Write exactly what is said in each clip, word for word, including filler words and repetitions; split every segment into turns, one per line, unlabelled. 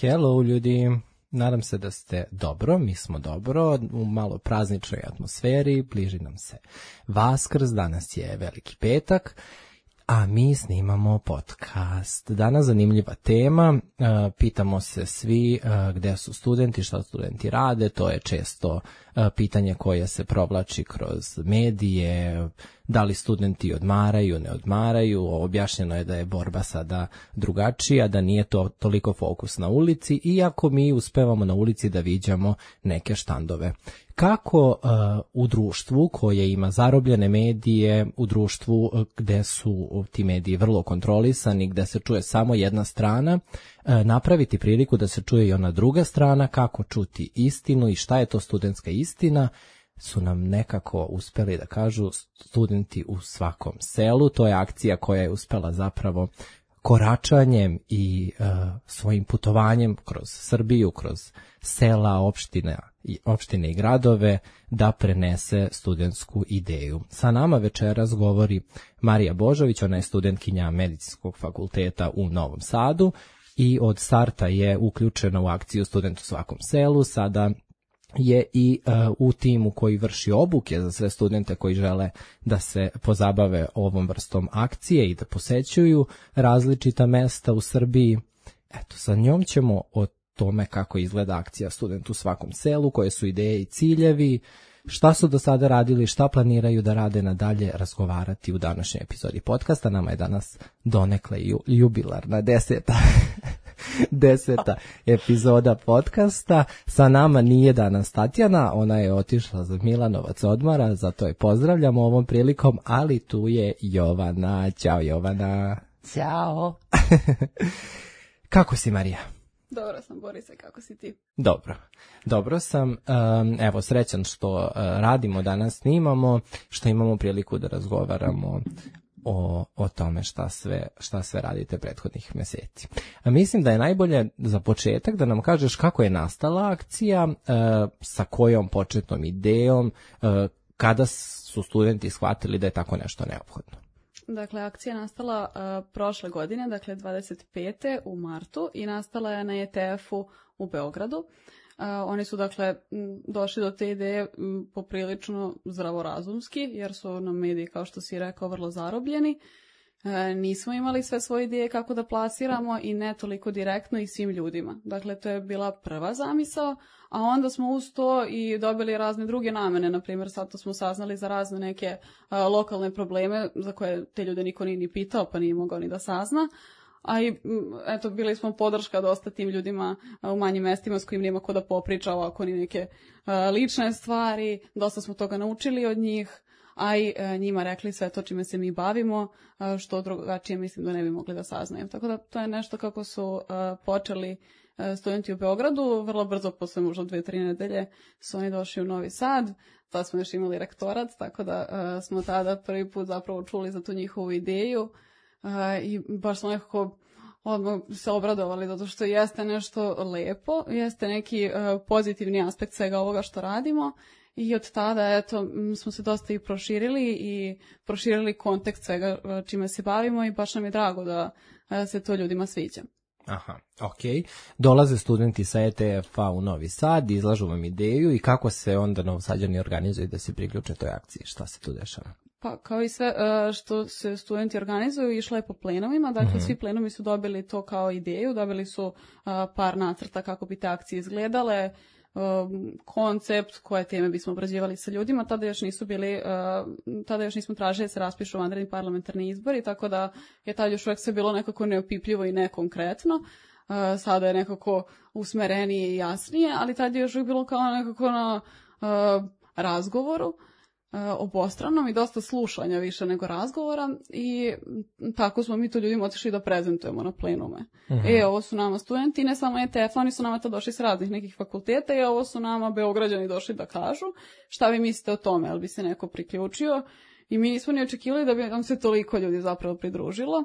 Hello ljudi, nadam se da ste dobro, mi smo dobro, u malo prazničnoj atmosferi, bliži nam se Vaskrs, danas je Veliki petak, a mi snimamo podcast. Danas zanimljiva tema, pitamo se svi gde su studenti, šta studenti rade, to je često pitanje koje se provlači kroz medije, da li studenti odmaraju, ne odmaraju, objašnjeno je da je borba sada drugačija, da nije to toliko fokus na ulici, iako mi uspevamo na ulici da viđamo neke štandove. Kako uh, u društvu koje ima zarobljene medije, u društvu uh, gde su ti mediji vrlo kontrolisani, gde se čuje samo jedna strana, uh, napraviti priliku da se čuje i ona druga strana, kako čuti istinu i šta je to studentska istina, su nam nekako uspeli da kažu studenti u svakom selu. To je akcija koja je uspela zapravo koračanjem i uh, svojim putovanjem kroz Srbiju, kroz sela, opštine i opštine i gradove da prenese studentsku ideju. Sa nama večeras govori Marija Božović, ona je studentkinja Medicinskog fakulteta u Novom Sadu i od starta je uključena u akciju Student u svakom selu. Sada je i uh, u timu koji vrši obuke za sve studente koji žele da se pozabave ovom vrstom akcije i da posećuju različita mesta u Srbiji. Eto, sa njom ćemo o tome kako izgleda akcija Student u svakom selu, koje su ideje i ciljevi, šta su do sada radili, šta planiraju da rade nadalje, razgovarati u današnjoj epizodi podcasta. Nama je danas donekle jubilarna deseta deseta epizoda podcasta. Sa nama nije danas Tatjana, ona je otišla za Milanovac odmora, zato je pozdravljamo ovom prilikom, ali tu je Jovana. Ćao Jovana.
Ćao.
Kako si, Marija?
Dobro sam, Borise, kako si ti?
Dobro, dobro sam. Um, evo, srećan što uh, radimo danas, snimamo, što imamo priliku da razgovaramo o, o tome šta sve, šta sve radite prethodnih meseci. A mislim da je najbolje za početak da nam kažeš kako je nastala akcija, uh, sa kojom početnom idejom, uh, kada su studenti shvatili da je tako nešto neophodno.
Dakle, akcija je nastala uh, prošle godine, dakle dvadeset pete u martu i nastala je na E T F-u u Beogradu. Uh, oni su dakle m, došli do te ideje m, poprilično zdravorazumski, jer su nam mediji, kao što si rekao, vrlo zarobljeni. E, nismo imali sve svoje ideje kako da plasiramo i ne toliko direktno i svim ljudima. Dakle, to je bila prva zamisao, a onda smo uz to i dobili razne druge namene. Naprimjer, sad to smo saznali za razne neke a, lokalne probleme za koje te ljude niko nije ni pitao, pa nije mogao ni da sazna. A i, eto, bili smo podrška dosta tim ljudima a, u manjim mestima s kojim nema ko da popriča ovako ni neke a, lične stvari. Dosta smo toga naučili od njih, a i e, njima rekli sve to čime se mi bavimo, a, što drugačije mislim da ne bi mogli da saznaju. Tako da to je nešto kako su a, počeli a, studenti u Beogradu. Vrlo brzo, posle možda dve, tri nedelje, su oni došli u Novi Sad. Tad smo još imali rektorat, tako da a, smo tada prvi put zapravo čuli za tu njihovu ideju a, i baš smo nekako odmah se obradovali, zato što jeste nešto lepo, jeste neki a, pozitivni aspekt svega ovoga što radimo. I od tada, eto, smo se dosta i proširili i proširili kontekst svega čime se bavimo i baš nam je drago da se to ljudima sviđa.
Aha, okej. Dolaze studenti sa E T F-a u Novi Sad, izlažu vam ideju i kako se onda Novosađani organizuju da se priključe toj akciji? Šta se tu dešava?
Pa kao i sve što se studenti organizuju, išlo je po plenovima, dakle mm-hmm. svi plenovi su dobili to kao ideju, dobili su par nacrta kako bi te akcije izgledale, Um, koncept, koje teme bismo obrađivali sa ljudima. Tada još nisu bili, uh, tada još nismo tražili da se raspišu vanredni parlamentarni izbori, tako da je tada još uvek sve bilo nekako neopipljivo i nekonkretno. Uh, sada je nekako usmerenije i jasnije, ali tada je još uvek bilo kao nekako na uh, razgovoru, Uh, obostranom i dosta slušanja više nego razgovora i tako smo mi to ljudima otišli da prezentujemo na plenume. Uh-huh. E, ovo su nama studenti, ne samo E T F, oni su nama to došli s raznih nekih fakulteta i ovo su nama Beograđani došli da kažu šta vi mislite o tome, ali bi se neko priključio i mi nismo ni očekivali da bi nam se toliko ljudi zapravo pridružilo.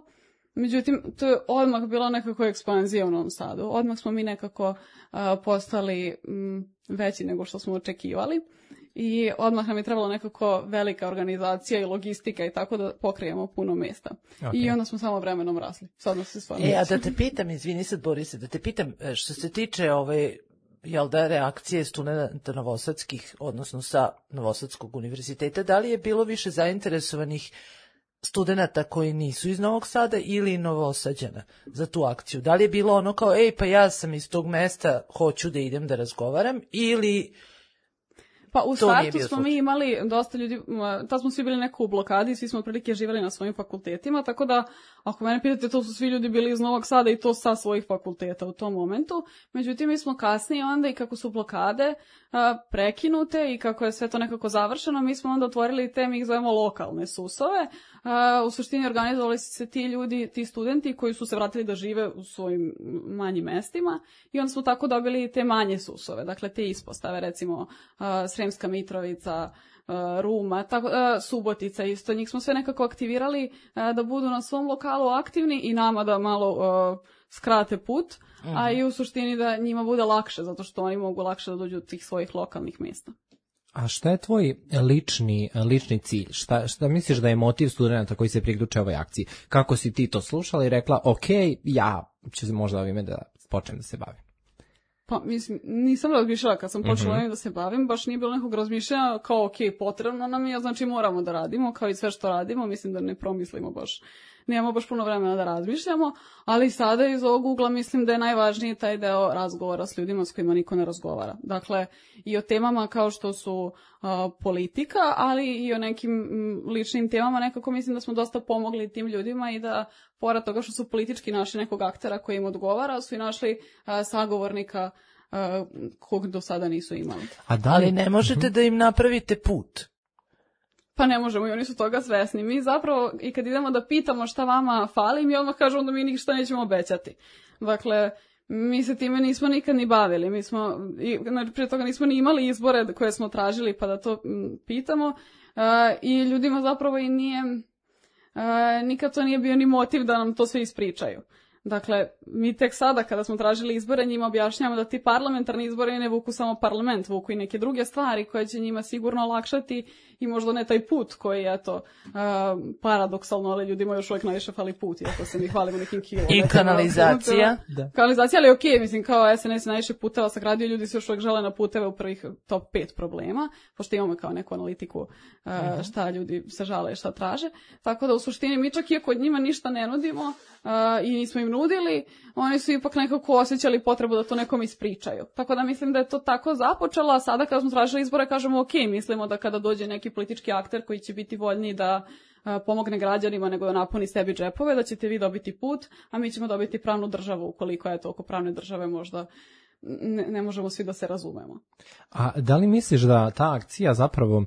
Međutim, to je odmah bila nekako ekspanzija u Novom Sadu. Odmah smo mi nekako uh, postali um, veći nego što smo očekivali. i odmah nam je trebalo nekako velika organizacija i logistika i tako da pokrijemo puno mesta. Okay. I onda smo samo vremenom rasli. Sad nas se stvarno...
E, a da te pitam, izvini sad Borise, da te pitam, što se tiče ove, jel da, reakcije studenta novosadskih, odnosno sa Novosadskog univerziteta, da li je bilo više zainteresovanih studenta koji nisu iz Novog Sada ili Novosađana za tu akciju? Da li je bilo ono kao, ej, pa ja sam iz tog mesta, hoću da idem da razgovaram, ili...
Pa u startu smo mi imali dosta ljudi, tad smo svi bili neko u blokadi, svi smo otprilike živjeli na svojim fakultetima, tako da ako mene pitate, to su svi ljudi bili iz Novog Sada i to sa svojih fakulteta u tom momentu. Međutim, mi smo kasnije onda i kako su blokade a, prekinute i kako je sve to nekako završeno, mi smo onda otvorili te, mi ih zovemo lokalne susove. A, u suštini organizovali su se ti ljudi, ti studenti koji su se vratili da žive u svojim manjim mestima i onda smo tako dobili te manje susove, dakle te ispostave, recimo a, Sremska Mitrovica, Ruma, tako, Subotica isto, njih smo sve nekako aktivirali da budu na svom lokalu aktivni i nama da malo uh, skrate put, mm-hmm. a i u suštini da njima bude lakše, zato što oni mogu lakše da dođu do tih svojih lokalnih mjesta.
A šta je tvoj lični, lični cilj? Šta, šta misliš da je motiv studenta koji se priključe ovoj akciji? Kako si ti to slušala i rekla, ok, ja ću možda ovime da počnem da se bavim?
Pa, mislim, nisam razmišljala kad sam počela mm-hmm. da se bavim, baš nije bilo nekog razmišljanja kao, ok, potrebno nam je, znači moramo da radimo, kao i sve što radimo, mislim da ne promislimo baš, nemamo baš puno vremena da razmišljamo, ali sada iz ovog ugla mislim da je najvažniji taj deo razgovora s ljudima s kojima niko ne razgovara. Dakle, i o temama kao što su uh, politika, ali i o nekim m, ličnim temama, nekako mislim da smo dosta pomogli tim ljudima i da, pored toga što su politički našli nekog aktera koji im odgovara, su i našli uh, sagovornika uh, kog do sada nisu imali.
A da li ne možete da im napravite put?
Pa ne možemo i oni su toga svesni. Mi zapravo i kad idemo da pitamo šta vama fali, mi odmah kažemo da mi ništa nećemo obećati. Dakle, mi se time nismo nikad ni bavili. Mi smo, i, prije toga nismo ni imali izbore koje smo tražili pa da to m, pitamo. Uh, I ljudima zapravo i nije, uh, nikad to nije bio ni motiv da nam to sve ispričaju. Dakle, mi tek sada kada smo tražili izbore njima objašnjamo da ti parlamentarni izbori ne vuku samo parlament, vuku i neke druge stvari koje će njima sigurno olakšati i možda ne taj put koji je to uh, paradoksalno, ali ljudima još uvijek najviše fali put, iako se mi hvalimo nekim kilom.
I kanalizacija.
Da. Kanalizacija, ali okej, okay, mislim kao S N S najviše puteva sagradio, ljudi se još uvijek žele na puteve u prvih top pet problema, pošto imamo kao neku analitiku uh, šta ljudi se žale, šta traže. Tako da u suštini mi čak iako od njima ništa ne nudimo uh, i nismo im nudili, oni su ipak nekako osjećali potrebu da to nekom ispričaju. Tako da mislim da je to tako započelo, a sada kada smo tražili izbore kažemo ok, mislimo da kada dođe neki politički akter koji će biti voljniji da a, pomogne građanima nego da napuni sebi džepove, da ćete vi dobiti put, a mi ćemo dobiti pravnu državu, ukoliko je to oko pravne države možda ne, ne možemo svi da se razumemo.
A da li misliš da ta akcija zapravo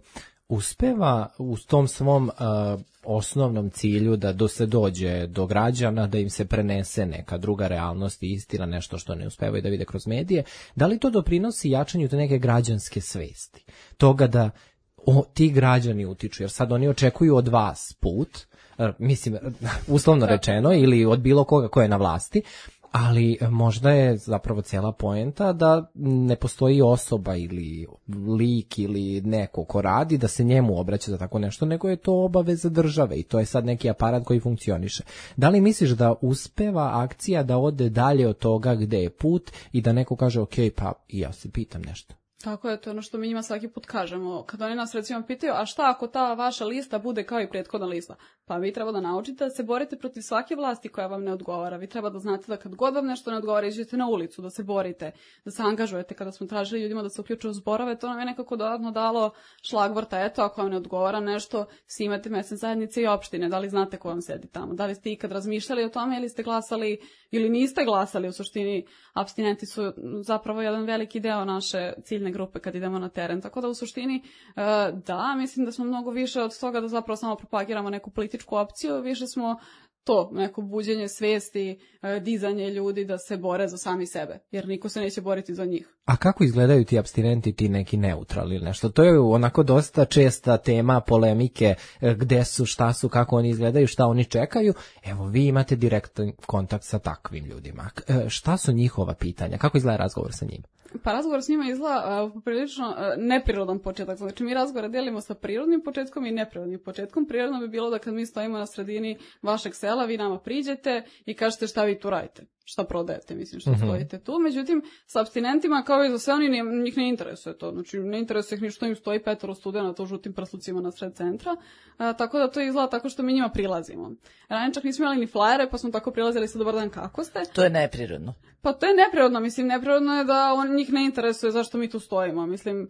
uspeva u tom svom uh, osnovnom cilju da do se dođe do građana, da im se prenese neka druga realnost i istina, nešto što ne uspevaju da vide kroz medije, da li to doprinosi jačanju te neke građanske svesti? Toga da o, ti građani utiču, jer sad oni očekuju od vas put, mislim, uslovno rečeno, ili od bilo koga ko je na vlasti, ali možda je zapravo cijela poenta da ne postoji osoba ili lik ili neko ko radi da se njemu obraća za tako nešto, nego je to obaveza države i to je sad neki aparat koji funkcioniše. Da li misliš da uspeva akcija da ode dalje od toga gde je put i da neko kaže ok, pa i ja se pitam nešto?
Tako je, to je ono što mi njima svaki put kažemo. Kad oni nas recimo pitaju, a šta ako ta vaša lista bude kao i prethodna lista? Pa vi treba da naučite da se borite protiv svake vlasti koja vam ne odgovara. Vi treba da znate da kad god vam nešto ne odgovara, iđete na ulicu, da se borite, da se angažujete. Kada smo tražili ljudima da se uključuju u zborove, to nam je nekako dodatno dalo šlagvorta. Eto, ako vam ne odgovara nešto, svi imate mesne zajednice i opštine. Da li znate ko vam sedi tamo? Da li ste ikad razmišljali o tome ili ste glasali ili niste glasali? U suštini, apstinenti su zapravo jedan veliki deo naše ciljne grupe kad idemo na teren. Tako da u suštini, da, mislim da smo mnogo više od toga da zapravo samo propagiramo neku političku opciju, više smo to, neko buđenje svesti, dizanje ljudi da se bore za sami sebe, jer niko se neće boriti za njih.
A kako izgledaju ti apstinenti, ti neki neutralni ili nešto? To je onako dosta česta tema polemike, gde su, šta su, kako oni izgledaju, šta oni čekaju. Evo, vi imate direktan kontakt sa takvim ljudima. Šta su njihova pitanja? Kako izgleda razgovor sa njima?
Pa razgovor s njima izgleda uh, poprilično uh, neprirodan početak. Znači mi razgovore delimo sa prirodnim početkom i neprirodnim početkom. Prirodno bi bilo da kad mi stojimo na sredini vašeg sela, vi nama priđete i kažete šta vi tu radite. Šta prodajete, mislim, što mm-hmm. stojite tu. Međutim, sa apstinentima, kao i za sve, oni ne, njih ne interesuje to. Znači, ne interesuje ih ni što im stoji petoro studenata u žutim prslucima na sred centra. A, tako da to izgleda tako što mi njima prilazimo. Ranije čak nismo imali ni flajere, pa smo tako prilazili sa dobar dan, kako ste.
To je neprirodno.
Pa to je neprirodno, mislim, neprirodno je da on njih ne interesuje zašto mi tu stojimo. Mislim,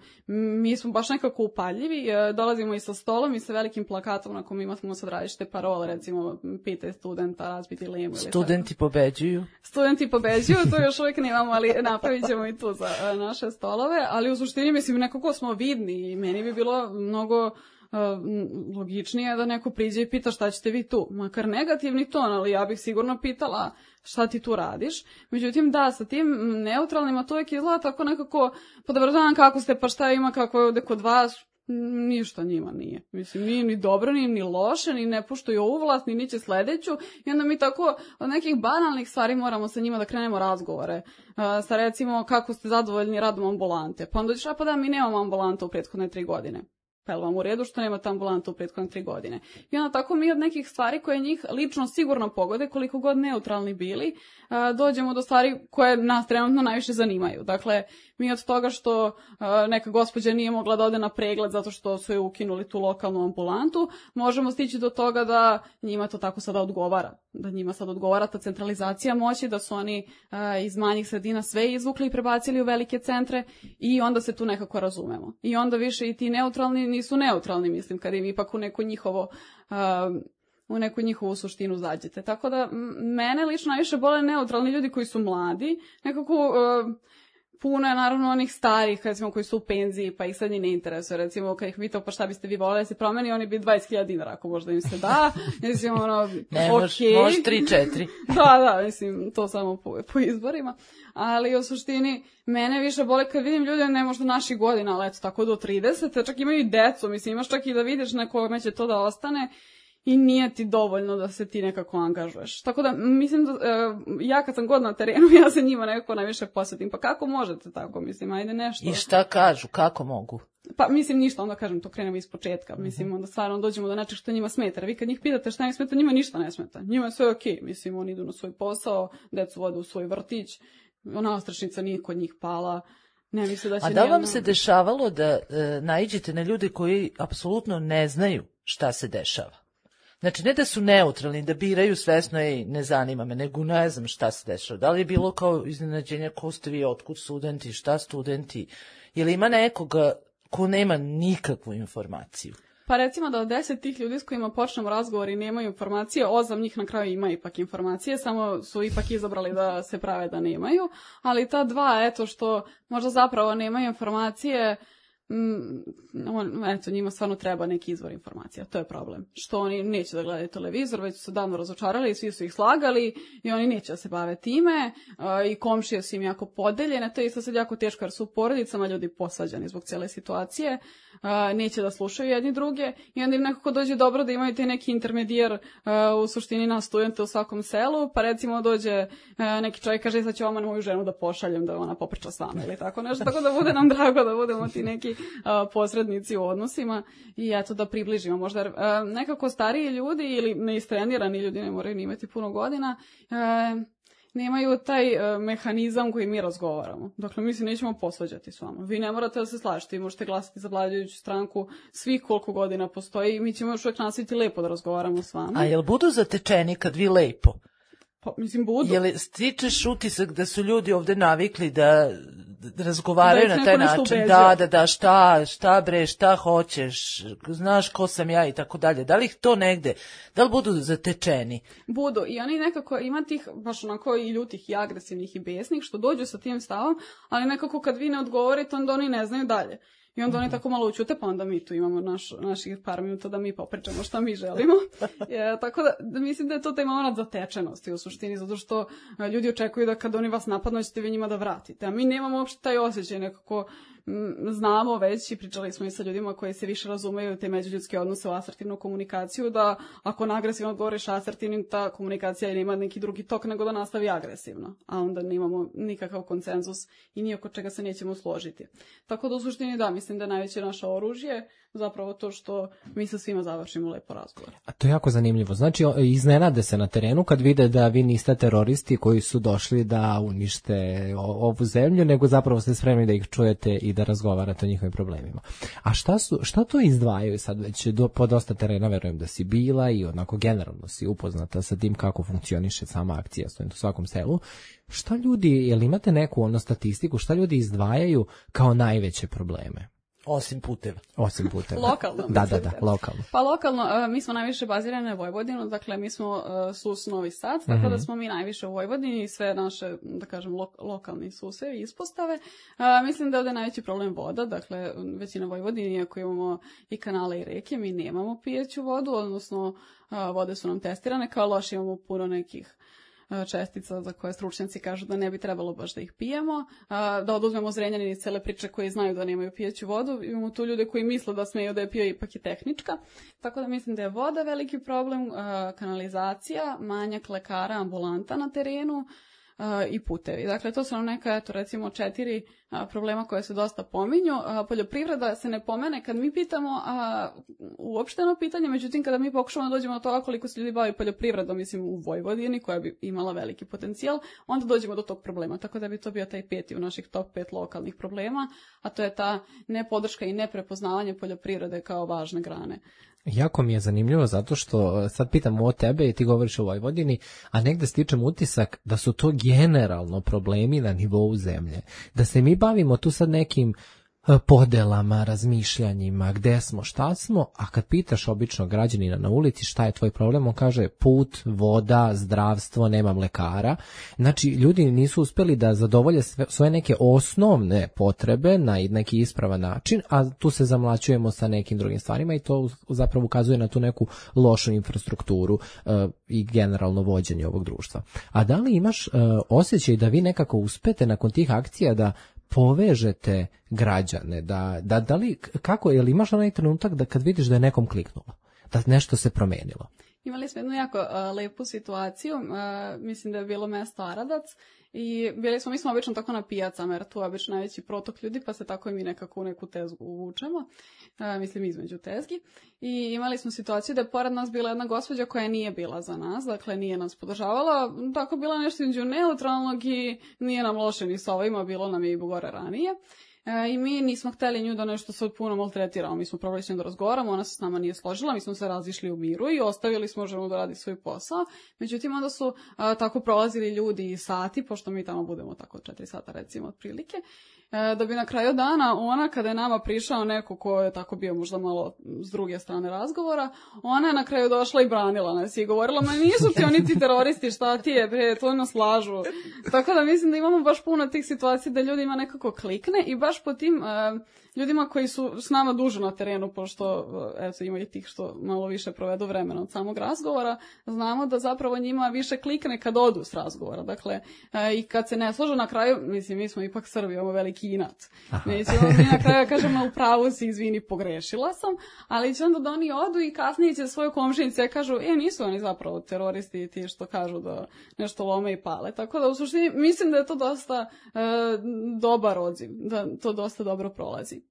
mi smo baš nekako upaljivi, dolazimo i sa stolom i sa velikim plakatom na kom imamo sad različite parole, recimo, pitaj studenta, razbiti lemu.
Studenti pobeđuju.
Studenti pobeđuju, to još uvijek nemamo, ali napravit ćemo i tu za naše stolove, ali u suštini, mislim, nekako smo vidni i meni bi bilo mnogo uh, logičnije da neko priđe i pita šta ćete vi tu. Makar negativni ton, ali ja bih sigurno pitala šta ti tu radiš. Međutim, da, sa tim neutralnima to uvijek izgleda tako nekako, pa dobar dan, kako ste, pa šta ima, kako je ovde kod vas, ništa njima nije. Mislim, nije ni dobro, ni, ni loše, ni ne puštaju ovu vlast, ni niće sledeću. I onda mi tako od nekih banalnih stvari moramo sa njima da krenemo razgovore. Uh, sa recimo, kako ste zadovoljni radom ambulante. Pa onda ćeš, a pa da, mi nemamo ambulanta u prethodne tri godine. Pa je vam u redu što nemate ambulantu u prethodne tri godine. I onda tako mi od nekih stvari koje njih lično sigurno pogode, koliko god neutralni bili, uh, dođemo do stvari koje nas trenutno najviše zanimaju. Dakle, mi od toga što uh, neka gospođa nije mogla da ode na pregled zato što su je ukinuli tu lokalnu ambulantu, možemo stići do toga da njima to tako sada odgovara. Da njima sad odgovara ta centralizacija moći, da su oni uh, iz manjih sredina sve izvukli i prebacili u velike centre i onda se tu nekako razumemo. I onda više i ti neutralni nisu neutralni, mislim, kad im ipak u neko njihovo... Uh, u neku njihovu suštinu zađete. Tako da, mene lično najviše bole neutralni ljudi koji su mladi, nekako uh, puno je naravno onih starih, recimo, koji su u penziji, pa ih sad ni ne interesuje, recimo, kad ih pitao pa šta biste vi voleli da se promeni, oni bi dvadeset hiljada dinara, ako možda im se da, mislim, ono,
ne,
ok.
Mož, može tri četiri.
Da, da, mislim, to samo po, po izborima, ali u suštini, mene više bole kad vidim ljude, ne možda naših godina, ali eto, tako do trideset, čak imaju i decu, mislim, imaš čak i da vidiš nekome će to da ostane, i nije ti dovoljno da se ti nekako angažuješ. Tako da, mislim da, e, ja kad sam god na terenu, ja se njima nekako najviše posvetim. Pa kako možete tako, mislim, ajde nešto.
I šta kažu, kako mogu?
Pa, mislim, ništa, onda kažem, to krenemo iz početka. Mislim, onda stvarno dođemo do nečeg što njima smeta. Vi kad njih pitate šta im smeta, njima ništa ne smeta. Njima je sve okej, mislim, oni idu na svoj posao, decu vode u svoj vrtić, ona ostrašnica nije kod njih pala. Ne misle da će
A da vam
nijedno...
se dešavalo da e, naiđete na ljude koji apsolutno ne znaju šta se dešava? Znači, ne da su neutralni, da biraju svesno i ne zanima me, nego ne znam šta se dešava. Da li je bilo kao iznenađenja, ko ste vi, otkud studenti, šta studenti, ili ima nekoga ko nema nikakvu informaciju?
Pa recimo da od deset tih ljudi s kojima počnemo razgovor i nemaju informacije, osam njih na kraju ima ipak informacije, samo su ipak izabrali da se prave da nemaju, ali ta dva, eto, što možda zapravo nemaju informacije, Mm, on, eto, njima stvarno treba neki izvor informacija, to je problem. Što oni neće da gledaju televizor, već su se davno razočarali, svi su ih slagali i oni neće da se bave time, uh, i komšije su im jako podeljene, to je isto sad jako teško jer su u porodicama ljudi posvađani zbog cijele situacije, uh, neće da slušaju jedni druge i onda im nekako dođe dobro da imaju te neki intermedijer, uh, u suštini na studente u svakom selu, pa recimo dođe uh, neki čovjek kaže sad ću vama moju ženu da pošaljem da ona popriča s vama ili tako nešto, tako da bude nam drago da budemo ti neki Uh, posrednici u odnosima i eto da približimo možda uh, nekako stariji ljudi ili neistrenirani ljudi, ne moraju ni imati puno godina, uh, nemaju taj uh, mehanizam koji mi razgovaramo. Dakle, mi se nećemo posvađati s vama. Vi ne morate da se slažete, vi možete glasati za vladajuću stranku svih koliko godina postoji i mi ćemo još uvijek nastaviti lepo da razgovaramo s vama.
A jel budu zatečeni kad vi lepo?
Pa, mislim, budu.
Jel stičeš utisak da su ljudi ovde navikli da razgovaraju da na taj način? Da, da, da, šta, šta bre, šta hoćeš, znaš ko sam ja i tako dalje. Da li ih to negde, da li budu zatečeni?
Budu. I oni nekako ima tih, baš onako i ljutih i agresivnih i besnih, što dođu sa tim stavom, ali nekako kad vi ne odgovorite, onda oni ne znaju dalje. I onda oni tako malo učute, pa onda mi tu imamo naš, naših par minuta da mi popričamo šta mi želimo. E, tako da, da mislim da je to taj moment zatečenosti u suštini, zato što ljudi očekuju da kad oni vas napadnu, ćete vi njima da vratite. A mi nemamo uopšte taj osjećaj nekako, znamo već i pričali smo i sa ljudima koji se više razumeju te međuljudske odnose u asertivnu komunikaciju, da ako na agresivno odgovoriš asertivnim, ta komunikacija nema neki drugi tok nego da nastavi agresivno, a onda nemamo nikakav konsenzus i ni oko čega se nećemo složiti. Tako da u suštini da, mislim da je najveće naše oružje zapravo to što mi sa svima završimo lepo razgovor.
A to je jako zanimljivo. Znači, iznenade se na terenu kad vide da vi niste teroristi koji su došli da unište ovu zemlju, nego zapravo ste spremni da ih čujete i da razgovarate o njihovim problemima. A šta su, šta to izdvajaju sad već do, po dosta terena, verujem da si bila i onako generalno si upoznata sa tim kako funkcioniše sama akcija Student u svakom selu. Šta ljudi, jel imate neku ono statistiku, šta ljudi izdvajaju kao najveće probleme?
Osim puteva.
Osim puteva.
Lokalno.
Da, da, da, lokalno.
Pa lokalno, uh, mi smo najviše bazirani na Vojvodinu, dakle mi smo uh, S U S Novi Sad, tako mm-hmm. da smo mi najviše u Vojvodini i sve naše, da kažem, lo- lokalni S U S-evi i ispostave. Uh, mislim da je ovdje najveći problem voda, dakle većina Vojvodini, iako imamo i kanale i reke, mi nemamo pijeću vodu, odnosno uh, vode su nam testirane, kao loše imamo puno nekih čestica za koje stručnjaci kažu da ne bi trebalo baš da ih pijemo, da oduzmemo Zrenjanin iz cele priče koji znaju da nemaju pijeću vodu, imamo tu ljude koji misle da smeju da je pio, ipak je tehnička, tako da mislim da je voda veliki problem, kanalizacija, manjak lekara, ambulanta na terenu i putevi. Dakle, to su nam neka, eto, recimo četiri a, problema koje se dosta pominju. A, poljoprivreda se ne pomene kad mi pitamo a, uopšteno pitanje, međutim, kada mi pokušamo da dođemo do toga koliko se ljudi bavi poljoprivredom, mislim, u Vojvodini, koja bi imala veliki potencijal, onda dođemo do tog problema. Tako da bi to bio taj peti u naših top pet lokalnih problema, a to je ta nepodrška i neprepoznavanje poljoprivrede kao važne grane.
Jako mi je zanimljivo zato što sad pitam o tebe i ti govoriš o Vojvodini, a negde stičem utisak da su to generalno problemi na nivou zemlje. Da se mi bavimo tu sad nekim podelama, razmišljanjima, gde smo, šta smo, a kad pitaš običnog građanina na ulici šta je tvoj problem, on kaže put, voda, zdravstvo, nemam lekara. Znači, ljudi nisu uspeli da zadovolje sve, svoje neke osnovne potrebe na neki ispravan način, a tu se zamlaćujemo sa nekim drugim stvarima i to zapravo ukazuje na tu neku lošu infrastrukturu uh, i generalno vođenje ovog društva. A da li imaš uh, osjećaj da vi nekako uspete nakon tih akcija da povežete građane, da, da, da li, kako, je li imaš onaj trenutak da kad vidiš da je nekom kliknulo, da nešto se promenilo?
Imali smo jednu jako uh, lepu situaciju, uh, mislim da je bilo mesto Aradac i bili smo, mi smo obično tako na pijacama, jer tu je obično najveći protok ljudi, pa se tako i mi nekako u neku tezgu uvučemo, uh, mislim između tezgi. I imali smo situaciju da je pored nas bila jedna gospođa koja nije bila za nas, dakle nije nas podržavala, tako bila nešto između neutralnog i nije nam loše ni sa ovima, bilo nam je i gore ranije. E, I mi nismo hteli nju da nešto sad puno maltretiramo, mi smo probali s njom da razgovaramo, ona se s nama nije složila, mi smo se razišli u miru i ostavili smo ženu da radi svoj posao. Međutim, onda su a, tako prolazili ljudi i sati, pošto mi tamo budemo tako četiri sata recimo otprilike, e, da bi na kraju dana ona, kada je nama prišao neko ko je tako bio možda malo s druge strane razgovora, ona je na kraju došla i branila nas i govorila, ma nisu ti oni ti teroristi, šta ti je, bre, to nas lažu. Tako da mislim da imamo baš puno tih situacija da ljudima nekako klikne i baš po tim uh, ljudima koji su s nama duže na terenu, pošto uh, eto, ima i tih što malo više provedu vremena od samog razgovora, znamo da zapravo njima više klikne kad odu s razgovora. Dakle, uh, i kad se ne slože na kraju, mislim, mi smo ipak Srbi, imamo veliki inat. Mislim, mi na kraju kažemo, u pravu si, izvini, pogrešila sam, ali će onda da oni odu i kasnije će svoje komšinice kažu, e, nisu oni zapravo teroristi ti što kažu da nešto lome i pale. Tako da, u suštini, mislim da je to dosta uh, dobar odziv, da to dosta dobro prolazi.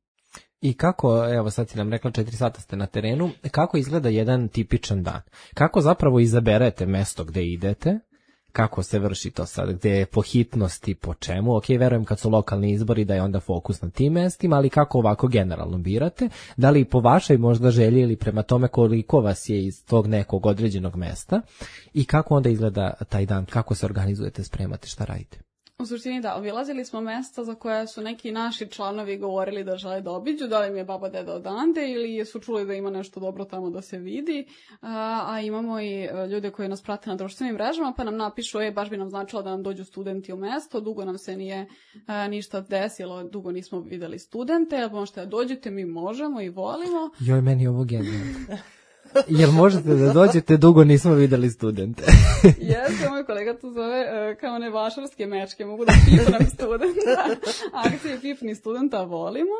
I kako, evo sad si nam rekla četiri sata ste na terenu, kako izgleda jedan tipičan dan? Kako zapravo izaberete mesto gde idete? Kako se vrši to sad? Gde je po hitnosti, po čemu? Ok, verujem kad su lokalni izbori da je onda fokus na tim mestima, ali kako ovako generalno birate? Da li po vašoj možda želji ili prema tome koliko vas je iz tog nekog određenog mesta? I kako onda izgleda taj dan? Kako se organizujete, spremate, šta radite?
U suštini da, obilazili smo mesta za koja su neki naši članovi govorili da žele da obiđu, da li mi je baba deda odande ili su čuli da ima nešto dobro tamo da se vidi, a, a imamo i ljude koji nas prate na društvenim mrežama pa nam napišu, e, baš bi nam značilo da nam dođu studenti u mesto, dugo nam se nije a, ništa desilo, dugo nismo videli studente, ali možete da dođete, mi možemo i volimo.
Joj, meni ovo genijalno. Jel možete da dođete, dugo nismo videli studente.
Jeste, moj kolega to zove uh, kao one vašarske mečke, mogu da pipnem studenta. Akcije pipni studenta volimo.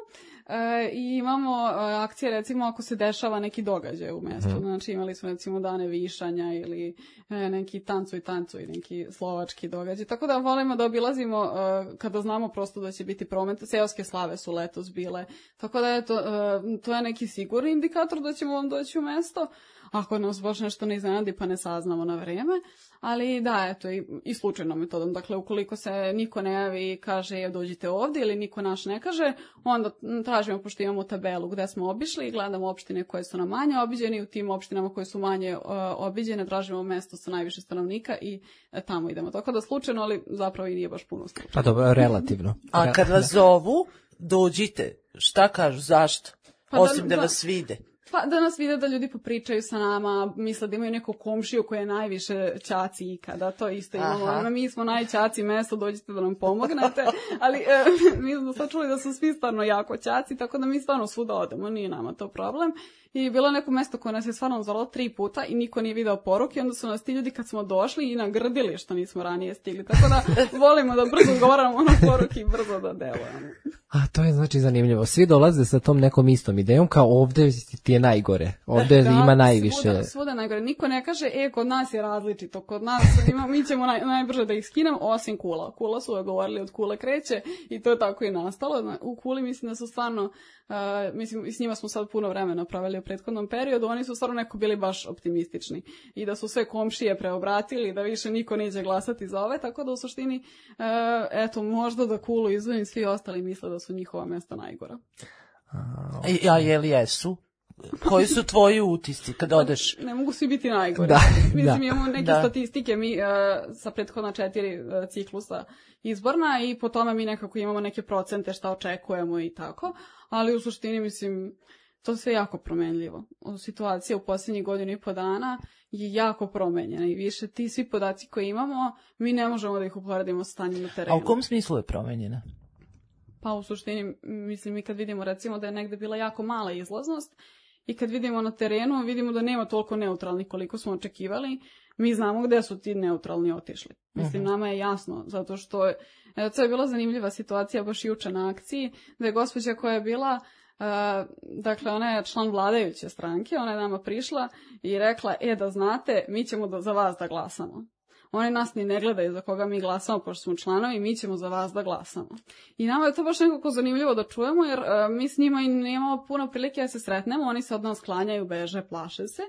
Uh, I imamo uh, akcije, recimo, ako se dešava neki događaj u mestu. Mm. Znači, imali smo, recimo, dane višanja ili uh, neki tancuj, tancuj, neki slovački događaj. Tako da volimo da obilazimo uh, kada znamo prosto da će biti promet. Seoske slave su letos bile. Tako da, eto, uh, to je neki sigurni indikator da ćemo vam doći u mesto. Ako nas baš nešto ne iznenadi pa ne saznamo na vreme. Ali da, eto, i, i slučajnom metodom. Dakle, ukoliko se niko ne javi i kaže dođite ovdje ili niko naš ne kaže, onda tražimo, pošto imamo tabelu gde smo obišli i gledamo opštine koje su nam manje obiđene. U tim opštinama koje su manje uh, obiđene tražimo mesto sa najviše stanovnika i uh, tamo idemo. Tako da slučajno, ali zapravo i nije baš puno slučajno.
Pa dobro, relativno.
A kad vas zovu, dođite. Šta kažu, zašto?
Pa
Osim
da,
da
da
vas vide.
Pa da nas vide, da ljudi popričaju sa nama, misle da imaju neku komšiju koja je najviše ćaci ikada, to isto imamo. Aha. Mi smo najćaci mesto, dođite da nam pomognete, ali e, mi smo sad čuli da su svi stvarno jako ćaci, tako da mi stvarno svuda odemo, nije nama to problem. I bilo neko mesto koje nas je stvarno zvalo tri puta i niko nije video poruke, onda su nas ti ljudi kad smo došli i nagrdili što nismo ranije stigli. Tako da volimo da brzo govoramo na poruke i brzo da delujemo.
A to je znači zanimljivo. Svi dolaze sa tom nekom istom idejom, kao ovde ti je najgore. Ovde da, ima najviše.
Svuda, svuda najgore. Niko ne kaže, e, kod nas je različito. Kod nas ima, mi ćemo naj, najbrže da ih skinemo, osim Kula. Kula su govorili, od Kule kreće i to je tako i nastalo. U Kuli mislim da su stvarno, uh, mislim, s njima smo sad puno vremena pravili u prethodnom periodu, oni su stvarno neko bili baš optimistični. I da su sve komšije preobratili, da više niko neće glasati za ove, tako da u suštini, uh, eto, možda da Kulu izvojim, svi ostali misle da su njihova mesta najgora.
A, a je li jesu? Koji su tvoji utisci kad odeš?
Ne mogu svi biti najgore.
Da,
Mislim,
da.
imamo neke
da.
statistike mi uh, sa prethodna četiri uh, ciklusa izborna i po tome mi nekako imamo neke procente šta očekujemo i tako, ali u suštini, mislim, to sve jako promenljivo. Situacija u posljednjih godinu i po dana je jako promenjena i više ti svi podaci koje imamo, mi ne možemo da ih uporedimo sa stanjem na terenu.
A u kom smislu je promenjena?
Pa u suštini, mislim, mi kad vidimo recimo da je negde bila jako mala izlaznost i kad vidimo na terenu, vidimo da nema toliko neutralnih koliko smo očekivali, mi znamo gde su ti neutralni otišli. Mislim, uh-huh. nama je jasno, zato što je, to je bila zanimljiva situacija baš juče na akciji, da je gospođa koja je bila, uh, dakle, ona je član vladajuće stranke, ona je nama prišla i rekla, e, da znate, mi ćemo da, za vas da glasamo. Oni nas ni ne gledaju za koga mi glasamo, pošto smo članovi, mi ćemo za vas da glasamo. I nama je to baš nekako zanimljivo da čujemo, jer uh, mi s njima i nemamo puno prilike da se sretnemo, oni se od nas klanjaju, beže, plaše se.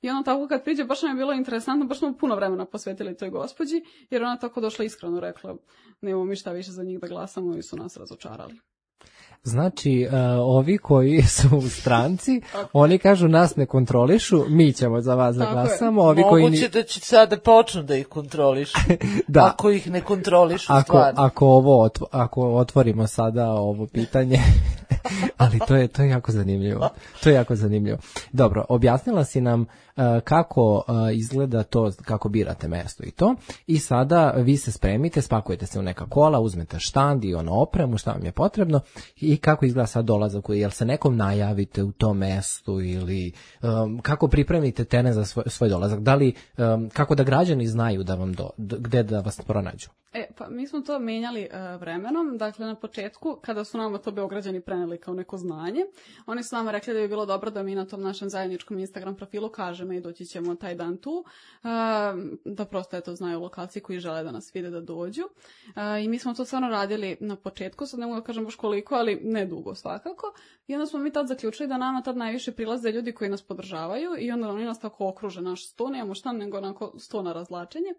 I ono tako kad priđe, baš nam je bilo interesantno, baš smo puno vremena posvetili toj gospođi, jer ona tako došla iskreno rekla, nemamo mi šta više za njih da glasamo i su nas razočarali.
Znači, uh, ovi koji su u stranci, oni kažu nas ne kontrolišu, mi ćemo za vas da glasamo. Ovi koji
moguće da će sada počnu da ih kontrolišu,
da.
Ako ih ne kontrolišu
ako,
stvarno.
Ako, ovo otvo, ako otvorimo sada ovo pitanje, ali to je, to je jako zanimljivo. To je jako zanimljivo. Dobro, objasnila si nam uh, kako uh, izgleda to, kako birate mesto i to. I sada vi se spremite, spakujete se u neka kola, uzmete štand i ono opremu, šta vam je potrebno i kako izgleda sad dolazak, jel se nekom najavite u tom mestu ili um, kako pripremite teren za svoj, svoj dolazak, da li, um, kako da građani znaju da vam do, gde da vas pronađu?
E, pa mi smo to menjali uh, vremenom, dakle na početku kada su nama to Beograđani preneli kao neko znanje, oni su nama rekli da bi bilo dobro da mi na tom našem zajedničkom Instagram profilu kažemo i doći ćemo taj dan tu, uh, da prosto eto znaju lokalci koji žele da nas vide da dođu uh, i mi smo to stvarno radili na početku, sad ne mogu da kažem baš koliko, ali ne dugo svakako, i onda smo mi tad zaključili da nama tad najviše prilaze ljudi koji nas podržavaju i onda oni nas tako okruže naš sto, nemamo šta nego onako sto na razlačenje.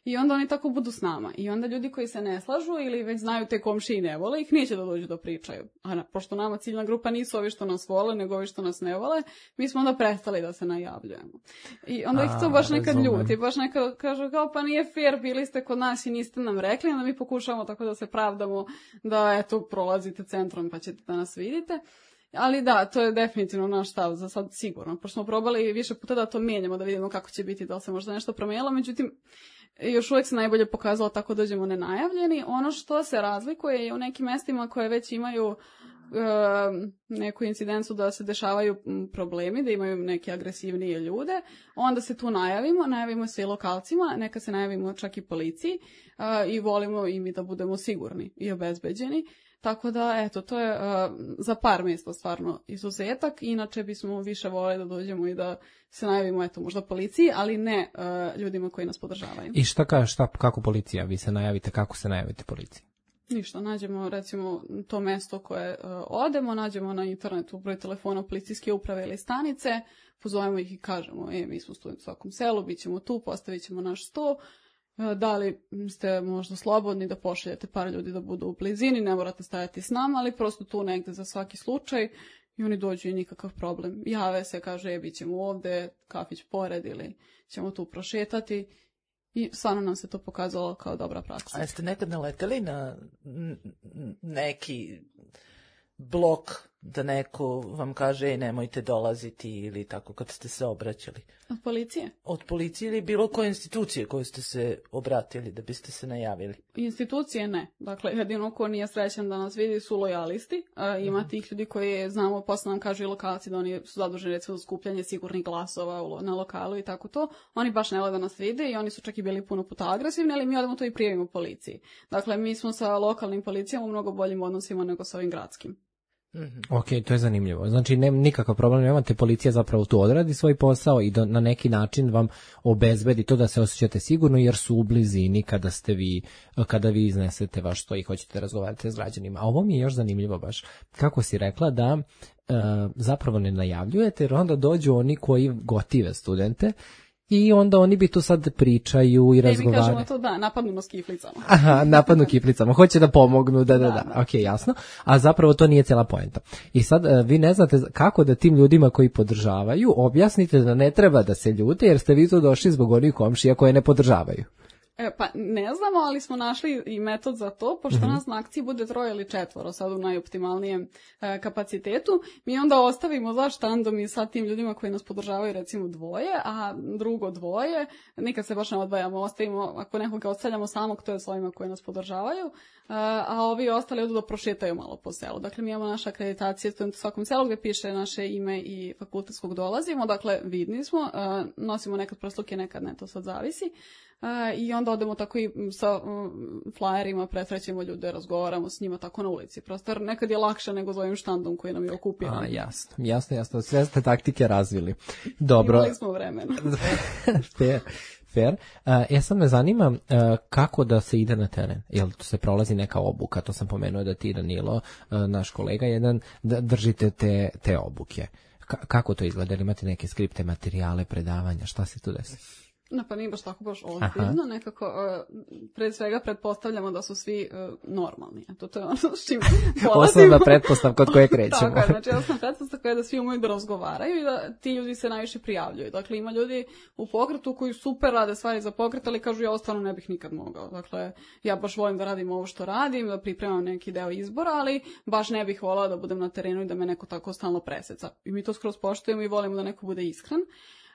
I onda oni tako budu s nama. I onda ljudi koji se ne slažu ili već znaju te komšije i ne vole, ih neće da dođu da pričaju. A na, pošto nama ciljna grupa nisu ovi što nas vole, nego ovi što nas ne vole, mi smo onda prestali da se najavljujemo. I onda ih to baš nekad ljuti. Baš nekad kažu kao pa nije fair, bili ste kod nas i niste nam rekli, onda mi pokušavamo tako da se pravdamo da eto prolazite centrom pa ćete da nas vidite. Ali da, to je definitivno naš stav za sad sigurno. Pošto smo probali više puta da to mijenjamo, da vidimo kako će biti, da li se možda nešto promijenilo, međutim još uvijek se najbolje pokazalo tako dođemo nenajavljeni. Ono što se razlikuje je u nekim mestima koje već imaju neku incidencu da se dešavaju problemi, da imaju neke agresivnije ljude, onda se tu najavimo, najavimo se i lokalcima, neka se najavimo čak i policiji i volimo i mi da budemo sigurni i obezbeđeni. Tako da, eto, to je uh, za par mjesta stvarno izuzetak. Inače bismo više voleli da dođemo i da se najavimo, eto, možda policiji, ali ne uh, ljudima koji nas podržavaju.
I šta kaže, šta, kako policija? Vi se najavite, kako se najavite policiji?
Ništa, nađemo recimo to mesto koje uh, odemo, nađemo na internetu broj telefona policijske uprave ili stanice, pozovemo ih i kažemo, e, mi smo studenti u svakom selu, bit ćemo tu, postavit ćemo naš sto. Da li ste možda slobodni da pošaljete par ljudi da budu u blizini, ne morate stajati s nama, ali prosto tu negde za svaki slučaj i oni dođu i nikakav problem. Jave se, kaže, e, bit ćemo ovde, kafić pored ili ćemo tu prošetati i stvarno nam se to pokazalo kao dobra praksa.
A jeste nekad naleteli na neki blok da neko vam kaže, e, nemojte dolaziti ili tako kad ste se obraćali?
Od policije?
Od policije ili bilo koje institucije koje ste se obratili da biste se najavili?
Institucije ne. Dakle, jedino ko nije srećan da nas vidi su lojalisti. E, ima mm. tih ljudi koji znamo, posle nam kažu i lokalci da oni su zaduženi recimo za skupljanje sigurnih glasova na lokalu i tako to. Oni baš ne vole da nas vide i oni su čak i bili puno puta agresivni, ali mi odemo to i prijavimo policiji. Dakle, mi smo sa lokalnim policijama u mnogo boljim odnosima nego sa ovim gradskim.
Mm-hmm. Ok, to je zanimljivo. Znači, nema nikakav problem, nemate, policija zapravo tu odradi svoj posao i do, na neki način vam obezbedi to da se osjećate sigurno jer su u blizini kada ste vi, kada vi iznesete vaš sto i hoćete razgovarati s građanima. A ovo mi je još zanimljivo baš. Kako si rekla da e, zapravo ne najavljujete jer onda dođu oni koji gotive studente i onda oni bi tu sad pričaju i razgovaraju.
Mi kažemo to da, napadnemo s kiflicama.
Aha, napadnu kiflicama. Hoće da pomognu, da, da, da. da. Ok, jasno. A zapravo to nije cijela poenta. I sad vi ne znate kako da tim ljudima koji podržavaju objasnite da ne treba da se ljute jer ste vi tu došli zbog onih komšija koje ne podržavaju.
E, pa ne znamo, ali smo našli i metod za to, pošto mm-hmm. nas na akciji bude troje ili četvoro, sad u najoptimalnijem e, kapacitetu. Mi onda ostavimo za štandom i sa tim ljudima koji nas podržavaju recimo dvoje, a drugo dvoje, nikad se baš ne odvajamo, ostavimo, ako nekoga ostavljamo samog, to je s ovima koji nas podržavaju, e, a ovi ostali odu da prošetaju malo po selu. Dakle, mi imamo naše akreditacije u svakom selu gdje piše naše ime i fakultetskog dolazimo, dakle vidni smo, e, nosimo nekad prsluke, nekad ne, to sad zavisi. Uh, i onda odemo tako i sa um, flajerima, presrećemo ljude, razgovaramo s njima tako na ulici. Prosto nekad je lakše nego za ovim štandom koji nam je okupiran.
A, jasno, jasno, jasno. Sve ste taktike razvili. Dobro.
Imali smo vremena.
fair, fair. Uh, ja sad me zanima uh, kako da se ide na teren. Jel se prolazi neka obuka? To sam pomenuo da ti, Danilo, uh, naš kolega jedan, da držite te, te obuke. K- kako to izgleda? Ili imate neke skripte, materijale, predavanja? Šta se tu desi?
No, pa nije baš tako baš ozbiljno, nekako uh, pred svega pretpostavljamo da su svi uh, normalni. Eto, to je ono s čim polazimo.
Osnovna pretpostavka od koje krećemo.
Tako je, znači osnovna pretpostavka je da svi umeju da razgovaraju i da ti ljudi se najviše prijavljuju. Dakle, ima ljudi u pokretu koji super rade stvari za pokret, ali kažu ja stvarno ne bih nikad mogao. Dakle, ja baš volim da radim ovo što radim, da pripremam neki deo izbora, ali baš ne bih volala da budem na terenu i da me neko tako stalno preseca. I mi to skroz poštujemo i volimo da neko bude iskren.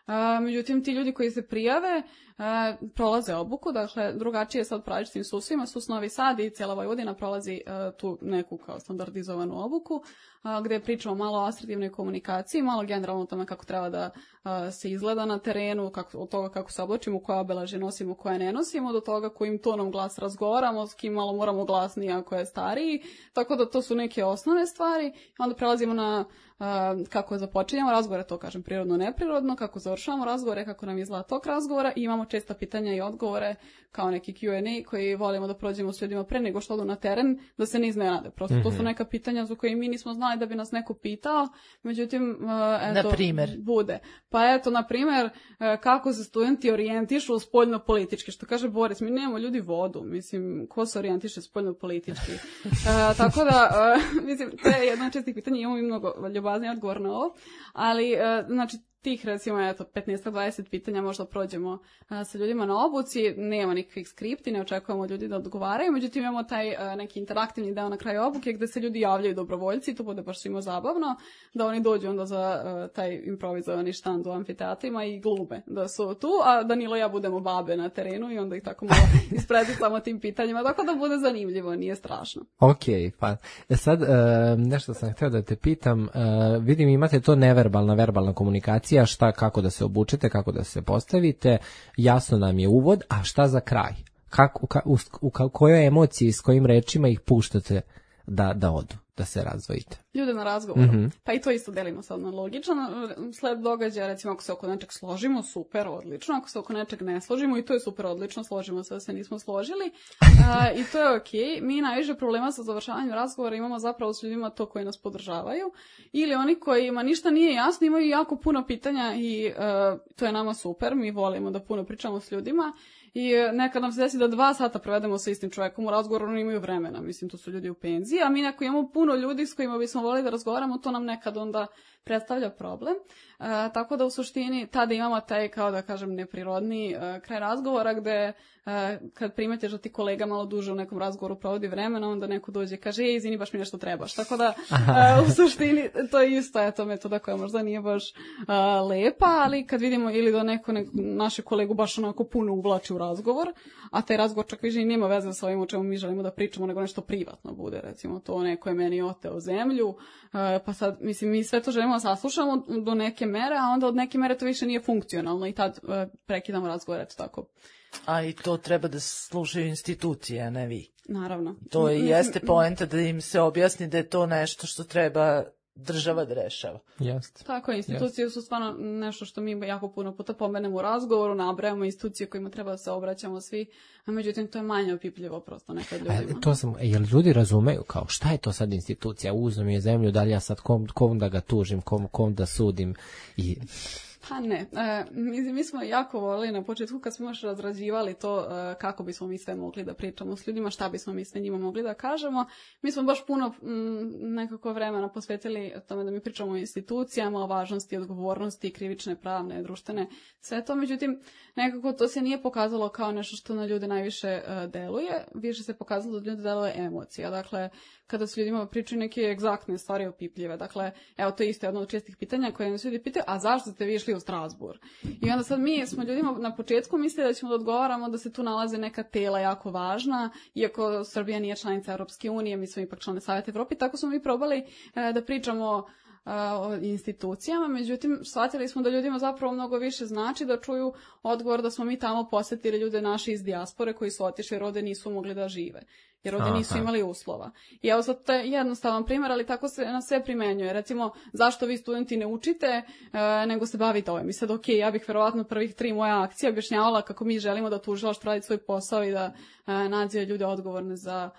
Uh, međutim, ti ljudi koji se prijave uh, prolaze obuku, dakle drugačije sad različitim susvima, sus Novi Sad i cijela Vojvodina prolazi uh, tu neku kao standardizovanu obuku, uh, gdje pričamo malo o asertivnoj komunikaciji, malo generalno o tome kako treba da uh, se izgleda na terenu, kako, od toga kako se oblačimo, koje obeležje nosimo, koje ne nosimo, do toga kojim tonom glas razgovaramo, s kim malo moramo glasniji ako je stariji, tako da to su neke osnovne stvari. Onda prelazimo na Uh, kako započinjamo razgovore, to kažem prirodno, neprirodno, kako završavamo razgovore, kako nam izgleda tok razgovora i imamo česta pitanja i odgovore kao neki Q and A koji volimo da prođemo s ljudima pre nego što odu na teren, da se ne iznenade. Prosto mm-hmm. to su neka pitanja za koje mi nismo znali da bi nas neko pitao, međutim, uh, eto,
na primjer.
bude. Pa eto, na primjer, uh, kako se studenti orijentišu spoljno politički, što kaže Boris, mi nemamo ljudi vodu, mislim, ko se orijentiše spoljno politički. Uh, tako da, uh, mislim, to je jedno od čestih pitanja, imamo i mnogo ljubazniji odgovor na ovo, ali, uh, znači, tih, recimo, eto, petnaest do dvadeset pitanja možda prođemo a, sa ljudima na obuci, nema nikakvih skripti, ne očekujemo od ljudi da odgovaraju, međutim imamo taj a, neki interaktivni deo na kraju obuke gde se ljudi javljaju dobrovoljci, to bude baš svima zabavno, da oni dođu onda za a, taj improvizovani štand u amfiteatrima i glube da su tu, a Danilo i ja budemo babe na terenu i onda ih tako malo ispredicamo tim pitanjima, tako da bude zanimljivo, nije strašno.
Ok, pa sad uh, nešto sam htio da te pitam, uh, vidim imate to neverbalna, verbalna komunikacija, šta, kako da se obučete, kako da se postavite, jasno nam je uvod, a šta za kraj? Kako, ka, u, u, u kojoj emociji, s kojim rečima ih puštate da, da odu, da se razvojite?
Ljude na razgovoru.
Mm-hmm.
Pa i to isto delimo sad na logičan sled događaja, recimo ako se oko nečeg složimo, super, odlično, ako se oko nečeg ne složimo, i to je super, odlično, složimo se da se nismo složili, a, i to je okej. Okay. Mi najviše problema sa završavanjem razgovora imamo zapravo s ljudima to koji nas podržavaju, ili oni kojima ništa nije jasno, imaju jako puno pitanja i a, to je nama super, mi volimo da puno pričamo s ljudima. I nekad nam se desi da dva sata provedemo sa istim čovjekom u razgovoru, oni imaju vremena, mislim, to su ljudi u penziji, a mi neko imamo puno ljudi s kojima bismo volili da razgovaramo, to nam nekad onda predstavlja problem. E, tako da u suštini tada imamo taj, kao da kažem, neprirodni e, kraj razgovora gde e, kad primeteš da ti kolega malo duže u nekom razgovoru provodi vremena, onda neko dođe i kaže, ej, izvini, baš mi nešto trebaš. Tako da e, u suštini to je isto, eto, metoda koja možda nije baš e, lepa, ali kad vidimo ili da neko, neko naše kolegu baš onako puno uvlači u razgovor, a taj razgovor čak više i nema veze sa ovim o čemu mi želimo da pričamo, nego nešto privatno bude, recimo to neko je meni oteo zemlju, e, pa sad, mislim, mi sve to želimo da saslušamo do neke mere, a onda od neke mere to više nije funkcionalno i tad e, prekidamo razgovor, eto tako.
A i to treba da slušaju institucije, a ne vi.
Naravno.
To i jeste poenta da im se objasni da je to nešto što treba država da rešava.
Jeste.
Tako je, institucije su stvarno nešto što mi jako puno puta pomenemo u razgovoru, nabrajamo institucije kojima treba da se obraćamo svi, a međutim to je manje opipljivo prosto nekad ljudima.
A, to sam, jel ljudi razumeju kao šta je to sad institucija, uzmem je zemlju, da li ja sad kom, kom da ga tužim, kom, kom da sudim i...
Pa ne, e, mi, mi smo jako volili na početku kad smo još razrađivali to e, kako bismo mi sve mogli da pričamo s ljudima, šta bismo mi sve njima mogli da kažemo. Mi smo baš puno m, nekako vremena posvetili tome da mi pričamo o institucijama, o važnosti, odgovornosti, krivične, pravne, društvene, sve to. Međutim, nekako to se nije pokazalo kao nešto što na ljude najviše e, deluje, više se pokazalo da ljude deluje emocija. Dakle, kada su ljudima pričaju neke egzaktne stvari opipljive. Dakle, evo to je isto jedno od čestih pitanja koje nas ljudi pitaju, a zašto ste vi išli u Strasbourg? I onda sad mi smo ljudima na početku mislili da ćemo da odgovaramo da se tu nalaze neka tela jako važna, iako Srbija nije članica Europske unije, mi smo ipak člane Saveta Evrope, tako smo mi probali e, da pričamo o institucijama, međutim shvatili smo da ljudima zapravo mnogo više znači da čuju odgovor da smo mi tamo posjetili ljude naše iz dijaspore koji su otišli jer ovde nisu mogli da žive, jer ovde nisu imali uslova. I evo sad to je jednostavan primjer, ali tako se na sve primenjuje. Recimo, zašto vi studenti ne učite, e, nego se bavite ovim. I sad, ok, ja bih verovatno prvih tri moja akcija objašnjavala kako mi želimo da tužilaštvo radi svoj posao i da e, nađe ljude odgovorne za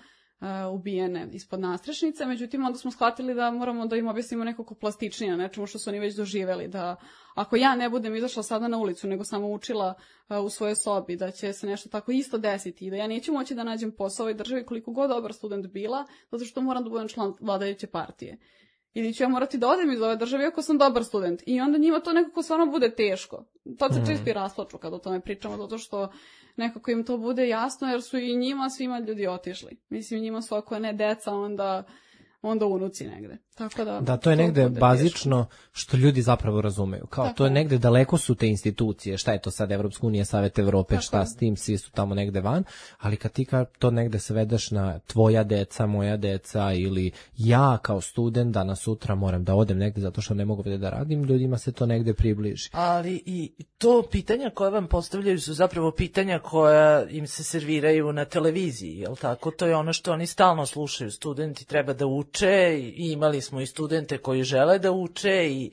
Uh, ubijene ispod nastrešnice, međutim onda smo shvatili da moramo da im objasnimo nekako plastičnije, nečemu što su oni već doživeli, da ako ja ne budem izašla sada na ulicu, nego samo učila uh, u svojoj sobi, da će se nešto tako isto desiti i da ja neću moći da nađem posao u ovoj državi koliko god dobar student bila, zato što moram da budem član vladajuće partije. Ili ću ja morati da odem iz ove države ako sam dobar student. I onda njima to nekako stvarno bude teško. Tad se mm. često i rasplaču kad o tome pričamo, zato što nekako im to bude jasno, jer su i njima svima ljudi otišli. Mislim, njima su ako ne deca, onda, onda unuci negde. Tako da,
da, to je negde bazično teško. Što ljudi zapravo razumeju. Kao, to je negde daleko su te institucije, šta je to sad Evropska unija, Savet Evrope, šta je. S tim, svi su tamo negde van, ali kad ti ka to negde svedeš na tvoja deca, moja deca ili ja kao student danas sutra moram da odem negde zato što ne mogu da radim, ljudima se to negde približi.
Ali i to pitanja koja vam postavljaju su zapravo pitanja koja im se serviraju na televiziji, jel tako? To je ono što oni stalno slušaju, studenti treba da uče i imali smo i studente koji žele da uče i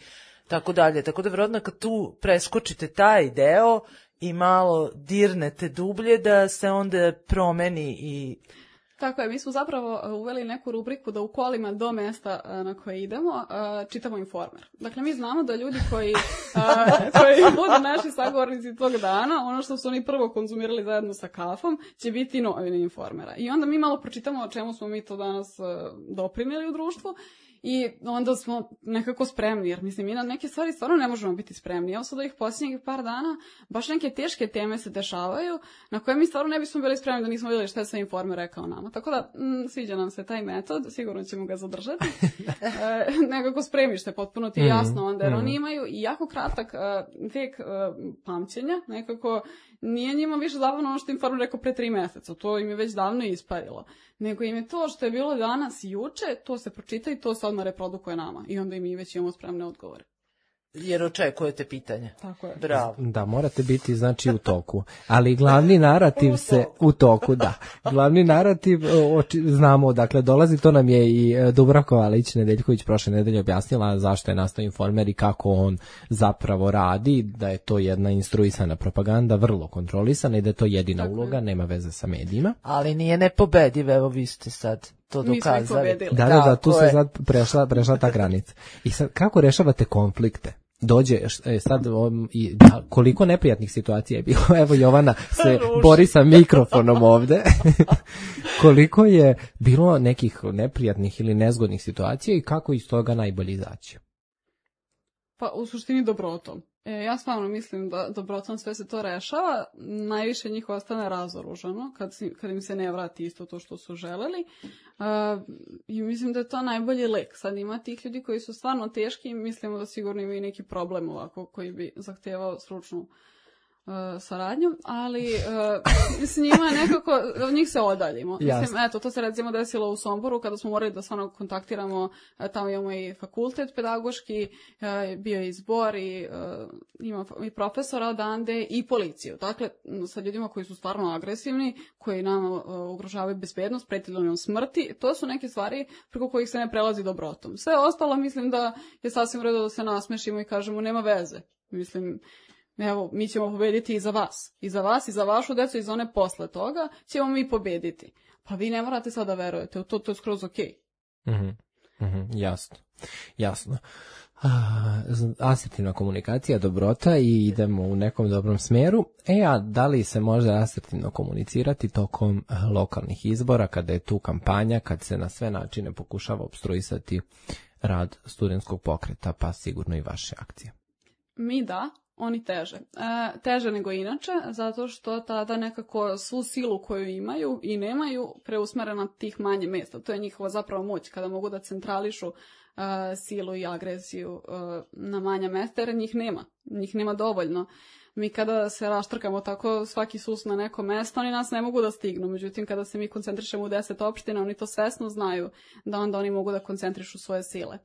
tako dalje. Tako da vjerojatno kad tu preskočite taj deo i malo dirnete dublje da se onda promeni i...
Tako je, mi smo zapravo uveli neku rubriku da u kolima do mesta na koje idemo čitamo Informer. Dakle, mi znamo da ljudi koji, koji budu naši sagovornici tog dana, ono što su oni prvo konzumirali zajedno sa kafom, će biti novine Informera. I onda mi malo pročitamo o čemu smo mi to danas doprinijeli u društvu. i onda smo nekako spremni, jer mislim, mi na neke stvari stvarno ne možemo biti spremni. Evo sad ovih posljednjih par dana, baš neke teške teme se dešavaju, na koje mi stvarno ne bismo bili spremni da nismo vidjeli šta je sve Informer rekao nama. Tako da, m, sviđa nam se taj metod, sigurno ćemo ga zadržati. e, nekako spremiš se, potpuno ti je jasno onda, jer mm. oni imaju i jako kratak uh, vek uh, pamćenja, nekako nije njima više zabavno ono što Informer rekao pre tri meseca, to im je već davno isparilo. Nego im je to što je bilo danas i juče, to se pročita i to se odmah reprodukuje nama. I onda i mi već imamo spremne odgovore.
Jer očekujete pitanje.
Tako je.
Bravo.
Da, morate biti znači u toku. Ali glavni narativ se u toku, da. Glavni narativ, oči, znamo, dakle, dolazi, to nam je i Dubravka Valić-Nedeljković prošle nedelje objasnila zašto je nastao Informer i kako on zapravo radi, da je to jedna instruisana propaganda, vrlo kontrolisana i da je to jedina Tako uloga, je. Nema veze sa medijima.
Ali nije nepobediv, evo vi ste sad to dokazali.
Da, da, da, tu se sad prešla, prešla ta granica. I sad, kako rešavate konflikte? Dođe, e, sad, um, i, da, koliko neprijatnih situacija je bilo, evo Jovana se bori sa mikrofonom ovde, koliko je bilo nekih neprijatnih ili nezgodnih situacija i kako iz toga najbolje izaći?
Pa u suštini dobrotom. E, ja stvarno mislim da dobrotom sve se to rešava, najviše njih ostane razoružano kad, kad im se ne vrati isto to što su želeli. Uh, I mislim da je to najbolji lek. Sad ima tih ljudi koji su stvarno teški i mislimo da sigurno imaju neki problem ovako koji bi zahtevao stručnu Uh, saradnju, ali uh, s njima nekako, od njih se odaljimo. Mislim, eto, to se recimo desilo u Somboru kada smo morali da stvarno kontaktiramo, tamo imamo i fakultet pedagoški, uh, bio je i zbor i uh, ima i profesora odande i policiju. Dakle, sa ljudima koji su stvarno agresivni, koji nam uh, ugrožavaju bezbednost, pretili nam smrti, to su neke stvari preko kojih se ne prelazi dobrotom. Sve ostalo mislim da je sasvim u redu da se nasmešimo i kažemo nema veze. Mislim, evo, mi ćemo pobediti i za vas. I za vas, i za vašu decu, i za one posle toga ćemo mi pobediti. Pa vi ne morate sad da verujete, u to, to je skroz okej.
Okay. Mm-hmm. Mm-hmm. Jasno. Jasno. Asertivna komunikacija, dobrota i idemo u nekom dobrom smeru. E, a da li se može asertivno komunicirati tokom lokalnih izbora, kada je tu kampanja, kad se na sve načine pokušava opstruisati rad studentskog pokreta, pa sigurno i vaše akcije?
Mi da. Oni teže. E, teže nego inače, zato što tada nekako svu silu koju imaju i nemaju preusmere na tih manje mjesta. To je njihova zapravo moć, kada mogu da centrališu e, silu i agresiju e, na manja mjesta, jer njih nema. Njih nema dovoljno. Mi kada se raštrkamo tako svaki sus na neko mesto, oni nas ne mogu da stignu. Međutim, kada se mi koncentrišemo u deset opština, oni to svesno znaju da onda oni mogu da koncentrišu svoje sile.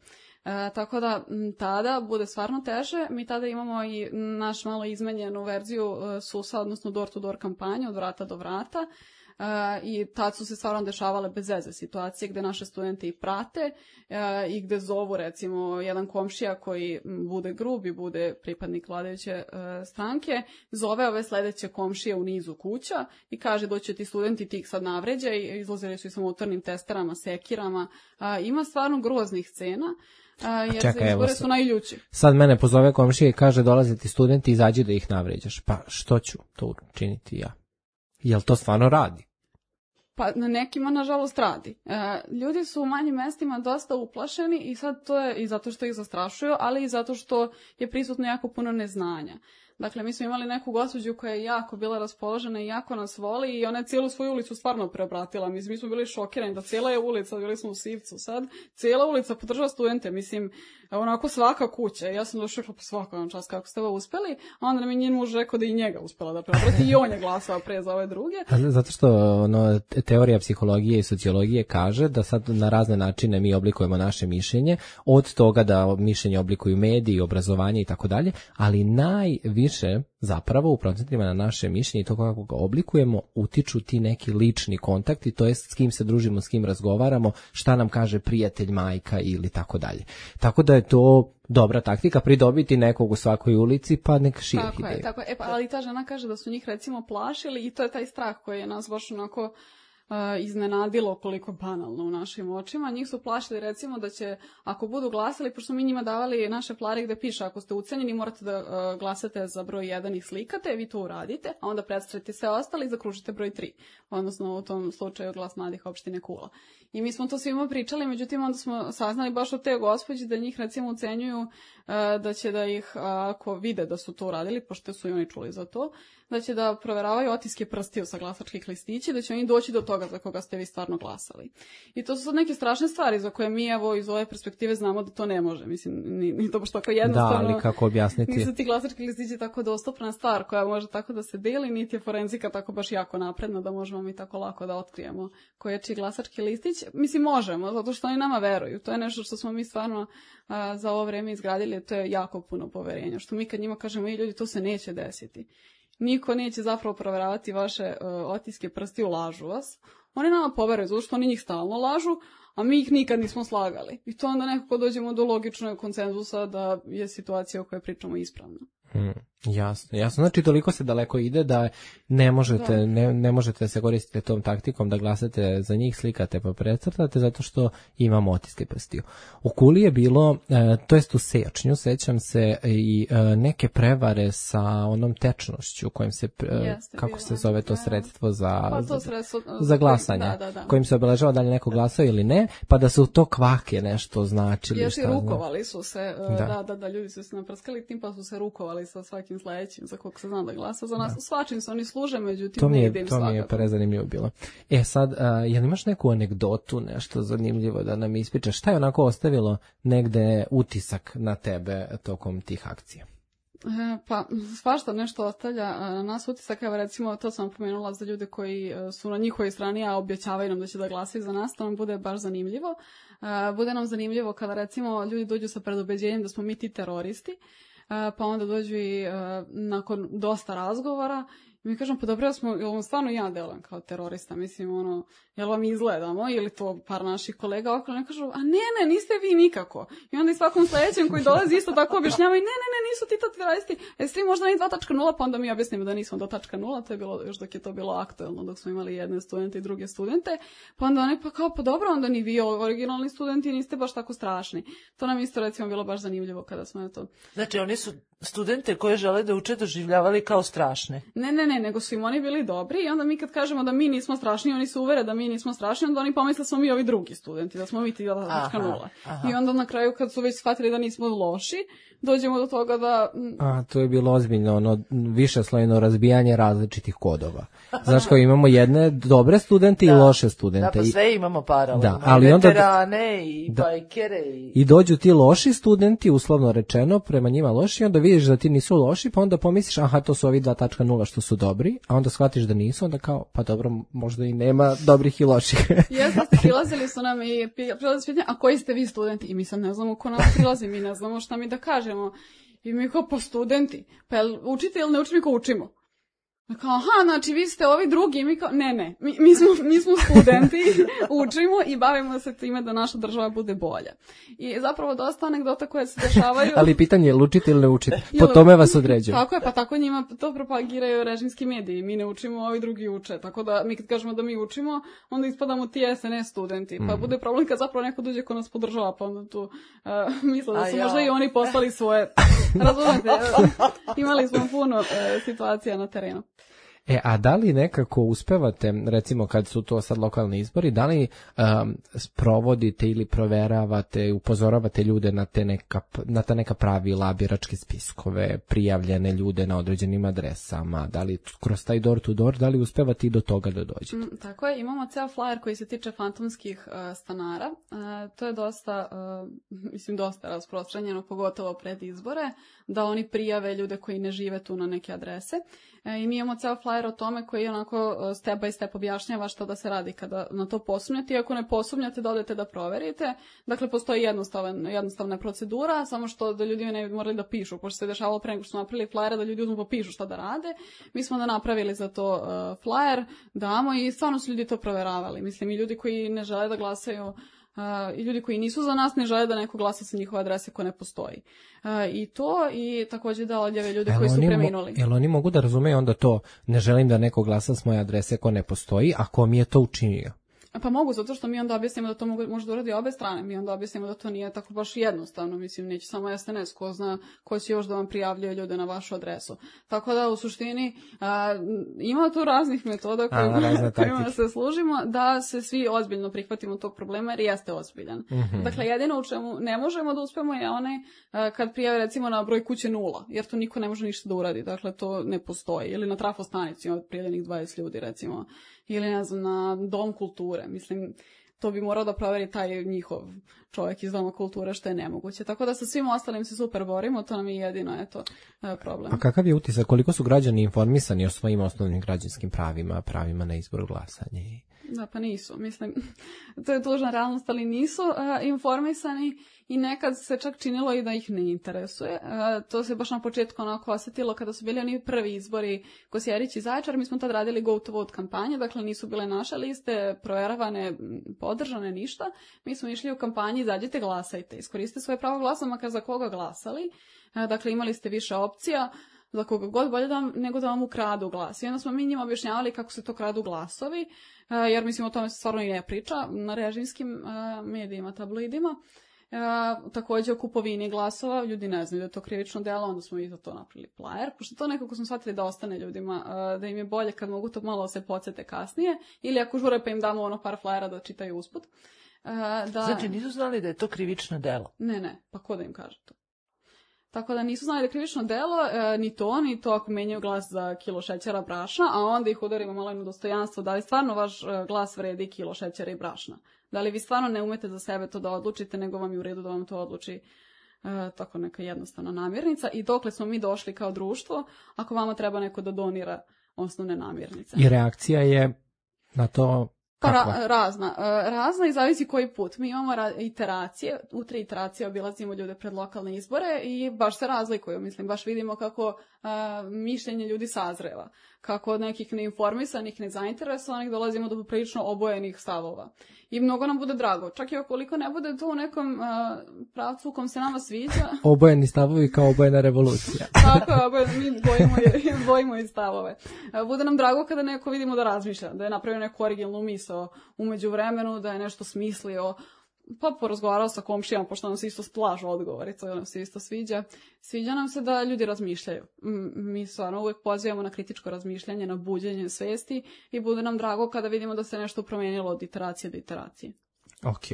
E, tako da m, tada bude stvarno teže. Mi tada imamo i naš malo izmenjenu verziju e, susa, odnosno door-to-door kampanje od vrata do vrata. Uh, i tad su se stvarno dešavale bez veze situacije gde naše studente i prate uh, i gde zovu recimo jedan komšija koji bude grub i bude pripadnik vladajuće uh, stranke, zove ove sledeće komšije u nizu kuća i kaže doće ti studenti, ti ih sad navređa i izlazili su i sa motornim testerama, sekirama. Uh, ima stvarno groznih scena. Uh, jer
čekaj,
izbore su najljući.
Sad mene pozove komšija i kaže dolaze ti studenti, izađi da ih navređaš. Pa što ću to učiniti ja? Jel to stvarno radi?
Pa na nekima, nažalost, radi. E, ljudi su u manjim mestima dosta uplašeni i sad to je i zato što ih zastrašuju, ali i zato što je prisutno jako puno neznanja. Dakle, mi smo imali neku gospođu koja je jako bila raspoložena i jako nas voli i ona je cijelu svoju ulicu stvarno preobratila. Mislim, mi smo bili šokirani da cijela je ulica, bili smo u Sivcu sad, cijela ulica podržava studente, mislim, onako svaka kuća. Ja sam došla po svakom čas kako ste ovo uspeli, a onda nam je njen muž rekao da i njega uspela da preobrati i on je glasao pre za ove druge.
Zato što ono, teorija psihologije i sociologije kaže da sad na razne načine mi oblikujemo naše mišljenje, od toga da mišljenje oblikuju mediji, obrazovanje i tako dalje, ali najviše više zapravo u procentima na naše mišljenje i to kako ga oblikujemo utiču ti neki lični kontakti, to jest s kim se družimo, s kim razgovaramo, šta nam kaže prijatelj, majka ili tako dalje. Tako da je to dobra taktika, pridobiti nekog u svakoj ulici pa nek širi
tako
ideju.
Je, tako je, e, pa, ali ta žena kaže da su njih recimo plašili i to je taj strah koji je nas baš onako iznenadilo koliko banalno u našim očima. Njih su plašili recimo da će, ako budu glasali, pošto mi njima davali naše flare gde piše ako ste ucenjeni morate da uh, glasate za broj jedan i slikate, vi to uradite, a onda predstavite sve ostali i zakružite broj tri. Odnosno u tom slučaju Glas mladih opštine Kula. I mi smo to svima pričali, međutim onda smo saznali baš od te gospođe da njih recimo ucenjuju uh, da će da ih, uh, ako vide da su to uradili, pošto su i oni čuli za to, da će da proveravaju otiske prstiju sa glasačkih listića, da će oni doći do toga za koga ste vi stvarno glasali. I to su sad neke strašne stvari za koje mi evo iz ove perspektive znamo da to ne može. Mislim, ni, ni to baš tako jednostavno.
Da, ali kako objasniti?
Nisu ti glasački listići tako dostupna stvar koja može tako da se deli, niti je forenzika tako baš jako napredna da možemo mi tako lako da otkrijemo koji je čiji glasački listić. Mislim, možemo, zato što oni nama veruju. To je nešto što smo mi stvarno a, za ovo vreme izgradili, to je jako puno poverenja. Što mi kad njima kažemo, i ljudi, to se neće desiti. Niko neće zapravo proveravati vaše uh, otiske prstiju, lažu vas. Oni nama poveruju, zato što oni njih stalno lažu, a mi ih nikad nismo slagali. I to onda nekako dođemo do logičnog konsenzusa da je situacija o kojoj pričamo ispravna.
Hmm, jasno, jasno. Znači toliko se daleko ide da ne možete, da. Ne, ne možete se koristiti tom taktikom da glasate za njih, slikate pa precrtate zato što imamo otiske prstiju. U Kuli je bilo, e, to jest u Sečnju, sećam se i e, neke prevare sa onom tečnošću kojim se, e, Jeste, kako se zove to sredstvo za,
pa to sredstvo,
za, za glasanje,
da, da, da.
kojim se obeležava da li neko glasao ili ne, pa da su to kvake nešto značili.
Još i rukovali su se, da. da, da, da, ljudi su se naprskali tim pa su se rukovali sa svakim sledećim, za kog se zna da glasa za nas. Da. Svačim se oni služe, međutim
to mi je,
ne ide im
to mi je prezanimljivo bilo. E sad, uh, jel imaš neku anegdotu, nešto zanimljivo da nam ispričaš? Šta je onako ostavilo negde utisak na tebe tokom tih akcija?
E, pa, svašta nešto ostavlja na nas utisak, evo recimo, to sam pomenula za ljude koji su na njihovoj strani, a objećavaju nam da će da glasaju za nas, to nam bude baš zanimljivo. E, bude nam zanimljivo kada recimo ljudi dođu sa predubeđenjem da smo mi ti teroristi, pa onda dođu i uh, nakon dosta razgovora i mi kažemo, pa dobro, smo, jel vam stvarno ja delujem kao terorista, mislim, ono, jel vam izgledamo, ili to par naših kolega okolo, ne kažu, a ne, ne, niste vi nikako. I onda i svakom sledećem koji dolazi isto tako objašnjavaju, ne, ne, ne, nisu ti to teroristi, jeste vi možda ni dva tačka nula, pa onda mi objasnimo da nismo do tačka nula, to je bilo još dok je to bilo aktuelno, dok smo imali jedne studente i druge studente, pa onda oni, pa kao, pa dobro, onda ni vi originalni studenti niste baš tako strašni. To nam isto recimo bilo baš zanimljivo kada smo to.
Znači, oni su studente koje žele da uče doživljavali kao strašne.
Ne, ne, ne, nego su im oni bili dobri i onda mi kad kažemo da mi nismo strašni, oni se uvere da mi nismo strašni, onda oni pomisle da smo mi ovi drugi studenti, da smo mi ti dva tačka nula. I onda na kraju kad su već shvatili da nismo loši, dođemo do toga da...
A, to je bilo ozbiljno, ono, višeslojno razbijanje različitih kodova. Znaš, kao imamo jedne dobre studente da. I loše studente.
Da, pa sve imamo paralelno.
Da, ali
I
onda...
veterane i da. Bajkere i...
I dođu ti loši studenti, uslovno rečeno, prema njima loši, onda vidiš da ti nisu loši, pa onda pomisliš, aha, to su ovi dva tačka nula što su dobri, a onda shvatiš da nisu, onda kao, pa dobro, možda i nema dobrih i loših.
Jesmo, prilazili su nam i prilazili pitanje, a koji ste vi studenti? I mi sad ne znamo ko nas prilazi, mi ne znamo šta mi da kažemo. I mi kao, pa studenti, pa jel učite ili ne učite, mi kao učimo. Kao, aha, znači vi ste ovi drugi, mi kao, ne, ne, mi, mi, smo, mi smo studenti, učimo i bavimo se time da naša država bude bolja. I zapravo dosta anegdota koje se dešavaju...
Ali pitanje je, učite ili ne učite? Po tome vas određuju.
Tako je, pa tako njima to propagiraju režimski mediji. Mi ne učimo, ovi drugi uče. Tako da mi kad kažemo da mi učimo, onda ispadamo ti S N S studenti. Pa mm. bude problem kad zapravo neko dođe ko nas podržava, pa onda tu uh, misle da su A možda ja. I oni poslali svoje... Razumete, imali smo puno uh, situacija na terenu.
E, a da li nekako uspevate, recimo kad su to sad lokalni izbori, da li um, sprovodite ili proveravate, upozoravate ljude na, te neka, na ta neka pravila, biračke spiskove, prijavljene ljude na određenim adresama, da li kroz taj door to door, da li uspevate i do toga da dođete?
Mm, tako je, imamo ceo flyer koji se tiče fantomskih uh, stanara, uh, to je dosta, uh, mislim dosta rasprostranjeno, pogotovo pred izbore, da oni prijave ljude koji ne žive tu na neke adrese. E, I mi imamo ceo flyer o tome koji onako step by step objašnjava šta da se radi kada na to posumnjate. I ako ne posumnjate, da odete da proverite. Dakle, postoji jednostavan, jednostavna procedura, samo što da ljudi ne bi morali da pišu, pošto se dešavalo pre nego što smo napravili flyer, da ljudi uzmu pa pišu šta da rade. Mi smo da napravili za to uh, flyer, damo i stvarno su ljudi to proveravali. Mislim, i ljudi koji ne žele da glasaju Uh, i ljudi koji nisu za nas ne žele da neko glasa sa njihove adrese ko ne postoji. Uh, I to, i takođe da odjave ljude koji su preminuli.
Jel oni mogu da razumeju onda to, ne želim da neko glasa s moje adrese ko ne postoji, a ko mi je to učinio?
Pa mogu, zato što mi onda objasnimo da to mogu, može da uradi obe strane. Mi onda objasnimo da to nije tako baš jednostavno. Mislim, neće samo es en es, ko zna ko će još da vam prijavljuje ljude na vašu adresu. Tako da, u suštini, a, ima tu raznih metoda kojima, kojima se služimo, da se svi ozbiljno prihvatimo tog problema, jer jeste ozbiljan. Mm-hmm. Dakle, jedino u čemu ne možemo da uspemo je onaj a, kad prijave, recimo, na broj kuće nula, jer to niko ne može ništa da uradi. Dakle, to ne postoji. Ili na trafostanici od prijavljenih dvadeset ljudi, recimo. Ili, ne znam, na dom kulture. Mislim, to bi morao da proveri taj njihov čovjek iz doma kulture, što je nemoguće. Tako da sa svim ostalim se super borimo, to nam je jedino, eto, problem.
A kakav je utisak, koliko su građani informisani o svojim osnovnim građanskim pravima, pravima na izbor glasanja?
Da, pa nisu. Mislim, to je tužna realnost, ali nisu uh, informisani i nekad se čak činilo i da ih ne interesuje. Uh, to se baš na početku onako osjetilo kada su bili oni prvi izbori Kosjerić i Zaječar. Mi smo tad radili go to vote kampanje, dakle nisu bile naše liste proveravane, podržane, ništa. Mi smo išli u kampanji, izađite, glasajte. Iskoriste svoje pravo glasa, makar za koga glasali. Uh, dakle, imali ste više opcija za koga god bolje da vam, nego da vam ukradu glas. I onda smo mi njima objašnjavali kako se to kradu glasovi, uh, jer mislim o tome se stvarno i ne priča na režimskim uh, medijima, tabloidima. Uh, takođe o kupovini glasova, ljudi ne znaju da je to krivično delo, onda smo i za to napravili plajer, pošto to nekako smo shvatili da ostane ljudima, uh, da im je bolje kad mogu to malo se podsjete kasnije, ili ako žure pa im damo ono par flajera da čitaju usput. Uh, da...
Znači nisu znali da je to krivično delo?
Ne, ne, pa ko da im kaže to? Tako da nisu znali da je krivično delo, e, ni to, ni to ako menjaju glas za kilo šećera brašna, a onda ih udarimo malo na dostojanstvo, da li stvarno vaš e, glas vredi kilo šećera i brašna. Da li vi stvarno ne umete za sebe to da odlučite, nego vam je u redu da vam to odluči e, tako neka jednostavna namirnica. I dokle smo mi došli kao društvo, ako vama treba neko da donira osnovne namirnice.
I reakcija je na to...
Pa ra, razna. Razna i zavisi koji put. Mi imamo ra, iteracije, u tri iteracije obilazimo ljude pred lokalne izbore i baš se razlikuju. Mislim, baš vidimo kako a, mišljenje ljudi sazreva. Kako od nekih neinformisanih, nezainteresovanih dolazimo do prilično obojenih stavova. I mnogo nam bude drago. Čak i ukoliko ne bude to u nekom a, pravcu u kom se nama sviđa.
Obojeni stavovi kao obojena revolucija.
Tako je, obojeni, mi bojimo i, bojimo i stavove. A, bude nam drago kada neko vidimo da razmišlja, da je napravio neku originalnu misao umeđu vremenu, da je nešto smislio, pa porazgovarao sa komšijama, pošto nam se isto slažu odgovori, to nam se isto sviđa. Sviđa nam se da ljudi razmišljaju. Mi stvarno uvijek pozivamo na kritičko razmišljanje, na buđenje svesti i bude nam drago kada vidimo da se nešto promijenilo od iteracije do iteracije.
Ok,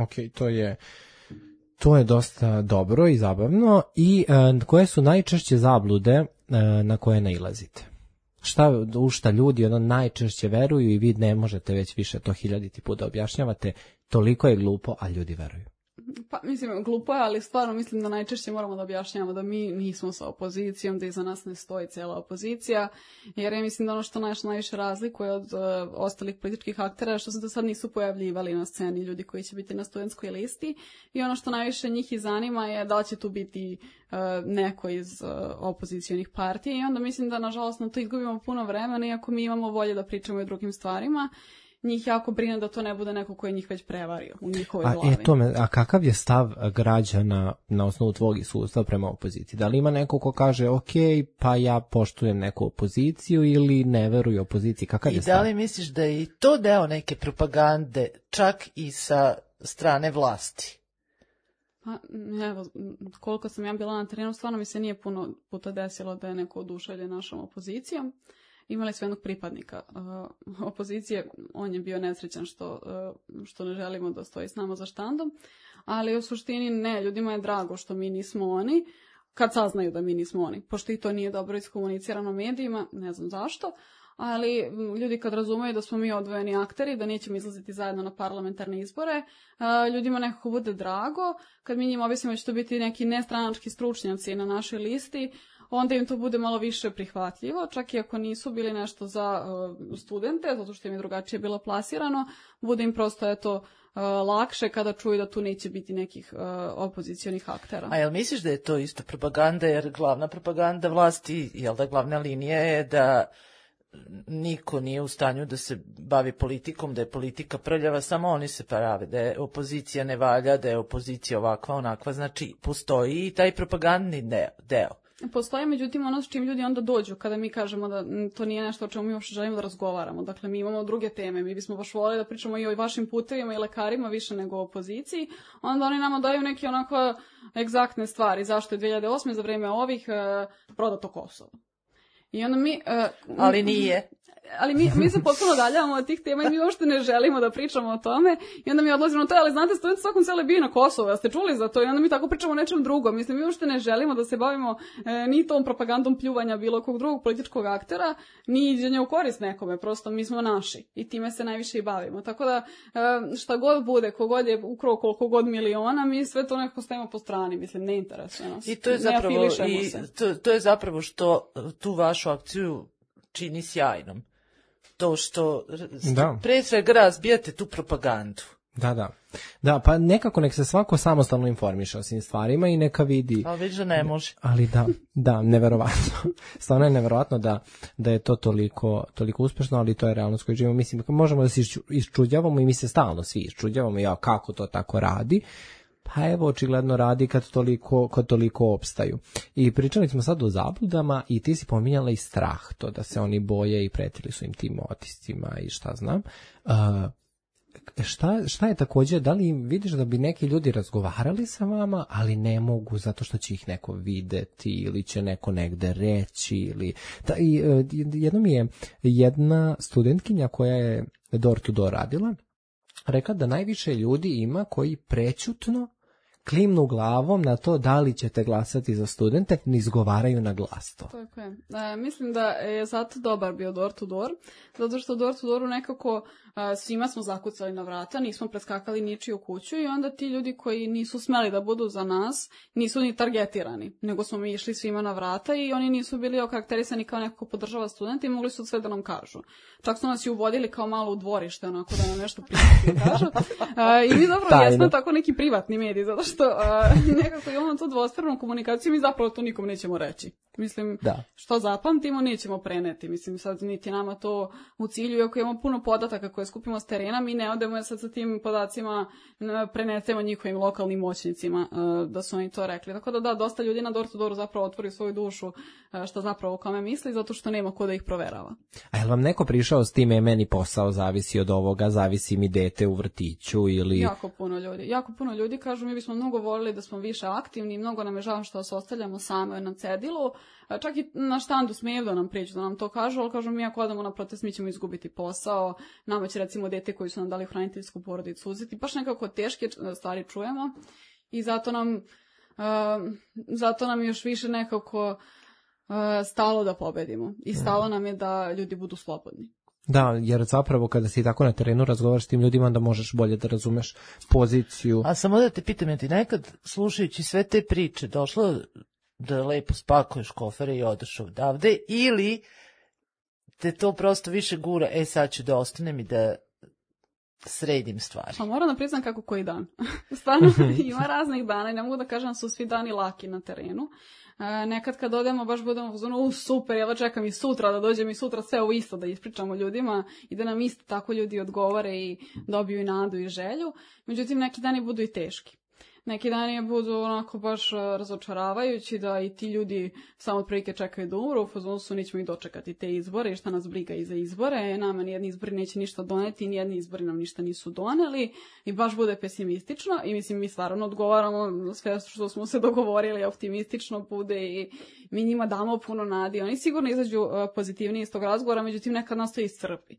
ok, to je... To je dosta dobro i zabavno. I uh, koje su najčešće zablude uh, na koje nailazite? Šta, u šta ljudi ono najčešće veruju i vi ne možete već više to hiljaditi put da objašnjavate, toliko je glupo, a ljudi veruju.
Pa, mislim, glupo je, ali stvarno mislim da najčešće moramo da objašnjavamo da mi nismo sa opozicijom, da iza nas ne stoji cijela opozicija, jer ja mislim da ono što naš najviše razlikuje od uh, ostalih političkih aktera, što se do sad nisu pojavljivali na sceni ljudi koji će biti na studentskoj listi, i ono što najviše njih i zanima je da li će tu biti uh, neko iz uh, opozicijonih partija, i onda mislim da nažalost na to izgubimo puno vremena, iako mi imamo volje da pričamo i o drugim stvarima. Njih jako brine da to ne bude neko koji je njih već prevario u njihovoj glavi.
A, e, tome, a kakav je stav građana na osnovu tvog iskustva prema opoziciji? Da li ima neko ko kaže, ok, pa ja poštujem neku opoziciju, ili ne veruju opoziciji? Kakav je stav?
I da li misliš da je i to deo neke propagande, čak i sa strane vlasti?
Pa, evo, koliko sam ja bila na terenu, stvarno mi se nije puno puta desilo da je neko oduševljen našom opozicijom. Imali smo jednog pripadnika uh, opozicije, on je bio nesrećan što, uh, što ne želimo da stoji s nama za štandom, ali u suštini ne, ljudima je drago što mi nismo oni, kad saznaju da mi nismo oni, pošto i to nije dobro iskomunicirano medijima, ne znam zašto, ali ljudi kad razumeju da smo mi odvojeni akteri, da nećemo izlaziti zajedno na parlamentarne izbore, uh, ljudima nekako bude drago, kad mi njima objasnimo da će to biti neki nestranački stručnjaci na našoj listi, onda im to bude malo više prihvatljivo, čak i ako nisu bili nešto za uh, studente, zato što im je drugačije bilo plasirano, bude im prosto eto, uh, lakše kada čuju da tu neće biti nekih uh, opozicijonih aktera.
A jel misliš da je to isto propaganda, jer glavna propaganda vlasti, jel da glavna linija je da niko nije u stanju da se bavi politikom, da je politika prljava, samo oni se prave, da je opozicija ne valja, da je opozicija ovakva, onakva, znači postoji i taj propagandni deo.
Postoji, međutim, ono s čim ljudi onda dođu kada mi kažemo da to nije nešto o čemu mi uopšte želimo da razgovaramo. Dakle, mi imamo druge teme, mi bismo baš voleli da pričamo i o vašim putevima i lekarima više nego o opoziciji, onda oni nama daju neke onako egzaktne stvari. Zašto je dve hiljade osme za vreme ovih uh, prodato Kosovo? I onda mi... Uh,
ali nije.
Ali mi, mi se potpuno daljavamo od tih tema i mi uopšte ne želimo da pričamo o tome i onda mi odlazimo na to, ali znate, studenti svakom sele bio na Kosovo, ja ste čuli za to i onda mi tako pričamo o nečem drugom. Mislim, mi uopšte ne želimo da se bavimo e, ni tom propagandom pljuvanja bilo kog drugog političkog aktera, ni iđenja u korist nekome, prosto mi smo naši i time se najviše i bavimo. Tako da e, šta god bude, kogod je ukrao koliko god miliona, mi sve to nekako stavimo po strani, mislim, ne interesuje nas.
I to je zapravo, i to, to je zapravo što tu vašu akciju čini sjajnom. To što da. Pre svega razbijate tu propagandu.
Da, da. Da, pa nekako nek se svako samostalno informiše o svim stvarima i neka vidi.
Ali vidi da ne može.
Ali da, da, neverovatno. Stvarno je neverovatno da, da je to toliko, toliko uspešno, ali to je realnost koju živimo. Mislim, možemo da se iščuđavamo i mi se stalno svi iščuđavamo, ja, kako to tako radi. Pa evo, očigledno radi kad toliko, kad toliko opstaju. I pričali smo sad o zabludama i ti si pominjala i strah, to da se oni boje i pretili su im tim otiscima i šta znam. Uh, šta, šta je također, da li vidiš da bi neki ljudi razgovarali sa vama, ali ne mogu zato što će ih neko videti ili će neko negde reći ili... Da, i, jedno mi je jedna studentkinja koja je door to door radila, rekla da najviše ljudi ima koji prećutno klimnu glavom na to da li ćete glasati za studente, ne izgovaraju na glas to.
Tako je. E, mislim da je zato dobar bio door to door, zato što door to dooru nekako a, svima smo zakucali na vrata, nismo preskakali ničiju kuću i onda ti ljudi koji nisu smeli da budu za nas, nisu ni targetirani, nego smo mi išli svima na vrata i oni nisu bili okarakterisani kao neko ko podržava studente i mogli su sve da nam kažu. Čak su nas i uvodili kao malo u dvorište, onako da nam nešto privatno kažu. A, I mi zapravo jesmo tako neki privatni mediji, zato što a, nekako imamo tu dvostranu komunikaciju, mi zapravo to nikom nećemo reći. Mislim, da. Što zapamtimo, nećemo preneti. Mislim, sad niti nama to u cilju, iako imamo puno podataka koje skupimo s terena, mi ne odemo sad sa tim podacima, prenesemo njihovim lokalnim moćnicima da su oni to rekli. Tako da da, dosta ljudi na door to dooru zapravo otvori svoju dušu šta zapravo o kome misli, zato što nema ko da ih proverava.
A je li vam neko prišao s time, meni posao zavisi od ovoga, zavisi mi dete u vrtiću ili...
Jako puno ljudi. Jako puno ljudi kažu, mi bismo mnogo volili da smo više aktivni, mnogo nam je žao što se ostavljamo same na cedilu. Čak i na štandu smeju da nam priđu, da nam to kažu, ali kažu mi ako odemo na protest mi ćemo izgubiti posao, nama će recimo dete koji su nam dali hraniteljsku porodicu uzeti, baš nekako teške stvari čujemo i zato nam, uh, zato nam još više nekako uh, stalo da pobedimo i stalo nam je da ljudi budu slobodni.
Da, jer zapravo kada si tako na terenu razgovaraš s tim ljudima, onda možeš bolje da razumeš poziciju.
A samo da te pitam, je ti nekad slušajući sve te priče došlo da lepo spakuješ kofere i odeš odavde ili te to prosto više gura, e sad ću da ostanem i da sredim stvari?
Pa moram da priznam kako koji dan. Stvarno ima raznih dana i ne mogu da kažem da su svi dani laki na terenu. E, nekad kad odemo baš budemo u zonu, u super, ja čekam i sutra da dođem i sutra sve ovo isto da ispričamo ljudima i da nam isto tako ljudi odgovore i dobiju i nadu i želju. Međutim, neki dani budu i teški. Neki dani budu onako baš razočaravajući da i ti ljudi samo otprilike čekaju da umru, u fazonu su nećemo ih dočekati te izbore i šta nas briga i za izbore, nama nijedni izbori neće ništa doneti, nijedni izbori nam ništa nisu doneli i baš bude pesimistično i mislim mi stvarno odgovaramo sve što smo se dogovorili, optimistično bude i mi njima damo puno nadi. Oni sigurno izađu pozitivniji iz tog razgovora, međutim nekad nas to iscrpi.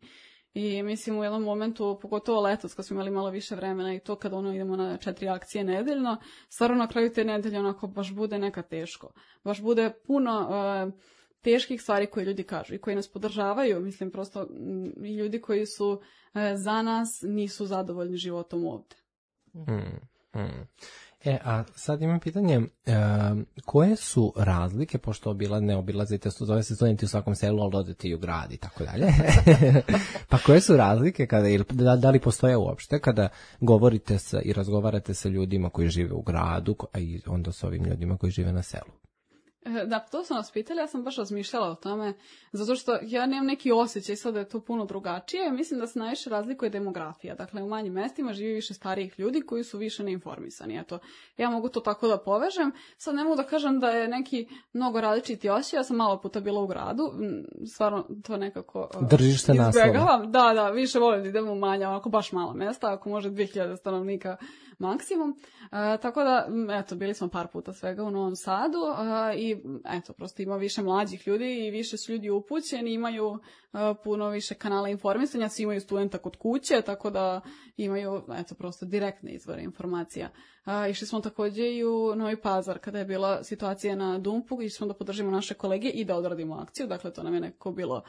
I mislim u jednom momentu, pogotovo letos kad smo imali malo više vremena i to kada ono idemo na četiri akcije nedeljno, stvarno na kraju te nedelje onako baš bude neka teško. Baš bude puno uh, teških stvari koje ljudi kažu i koji nas podržavaju. Mislim prosto m, i ljudi koji su uh, za nas nisu zadovoljni životom ovde.
Mm, mm. E, a sad imam pitanje, e, koje su razlike, pošto obila, ne obilazite, zove se studenti u svakom selu, ali odete i u grad i tako dalje. Pa koje su razlike, kada, da, da li postoje uopšte, kada govorite sa, i razgovarate sa ljudima koji žive u gradu, a i onda sa ovim ljudima koji žive na selu?
Da, to sam nas pitali, ja sam baš razmišljala o tome, zato što ja nemam neki osjećaj sad da je to puno drugačije. Mislim da se najviše razlikuje demografija. Dakle, u manjim mestima živi više starijih ljudi koji su više neinformisani. Eto, ja mogu to tako da povežem. Sad ne mogu da kažem da je neki mnogo različiti osjećaj. Ja sam malo puta bila u gradu. Stvarno, to nekako uh,
držiš se naslova.
Da, da, više volim da idem u manja, onako baš mala mesta, ako može dvije hiljade stanovnika maksimum. Uh, tako da, eto, bili smo par puta svega u Novom Sadu uh, i eto, prosto ima više mlađih ljudi i više su ljudi upućeni, imaju uh, puno više kanala informisanja, svi imaju studenta kod kuće, tako da imaju, eto, prosto direktne izvore informacija. Uh, išli smo takođe i u Novi Pazar, kada je bila situacija na Dumpu, išli smo da podržimo naše kolege i da odradimo akciju, dakle, to nam je nekako bilo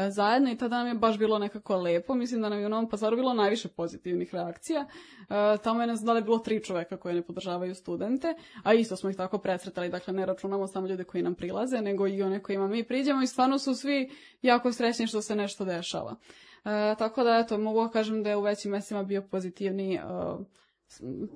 zajedno i tada nam je baš bilo nekako lepo. Mislim da nam je u Novom Pazaru bilo najviše pozitivnih reakcija. E, tamo je, ne znam da li je bilo tri čoveka koje ne podržavaju studente, a isto smo ih tako presretali, dakle ne računamo samo ljude koji nam prilaze, nego i one kojima mi priđemo i stvarno su svi jako srećni što se nešto dešava. E, tako da, eto, mogu da kažem da je u većim mestima bio pozitivni uh,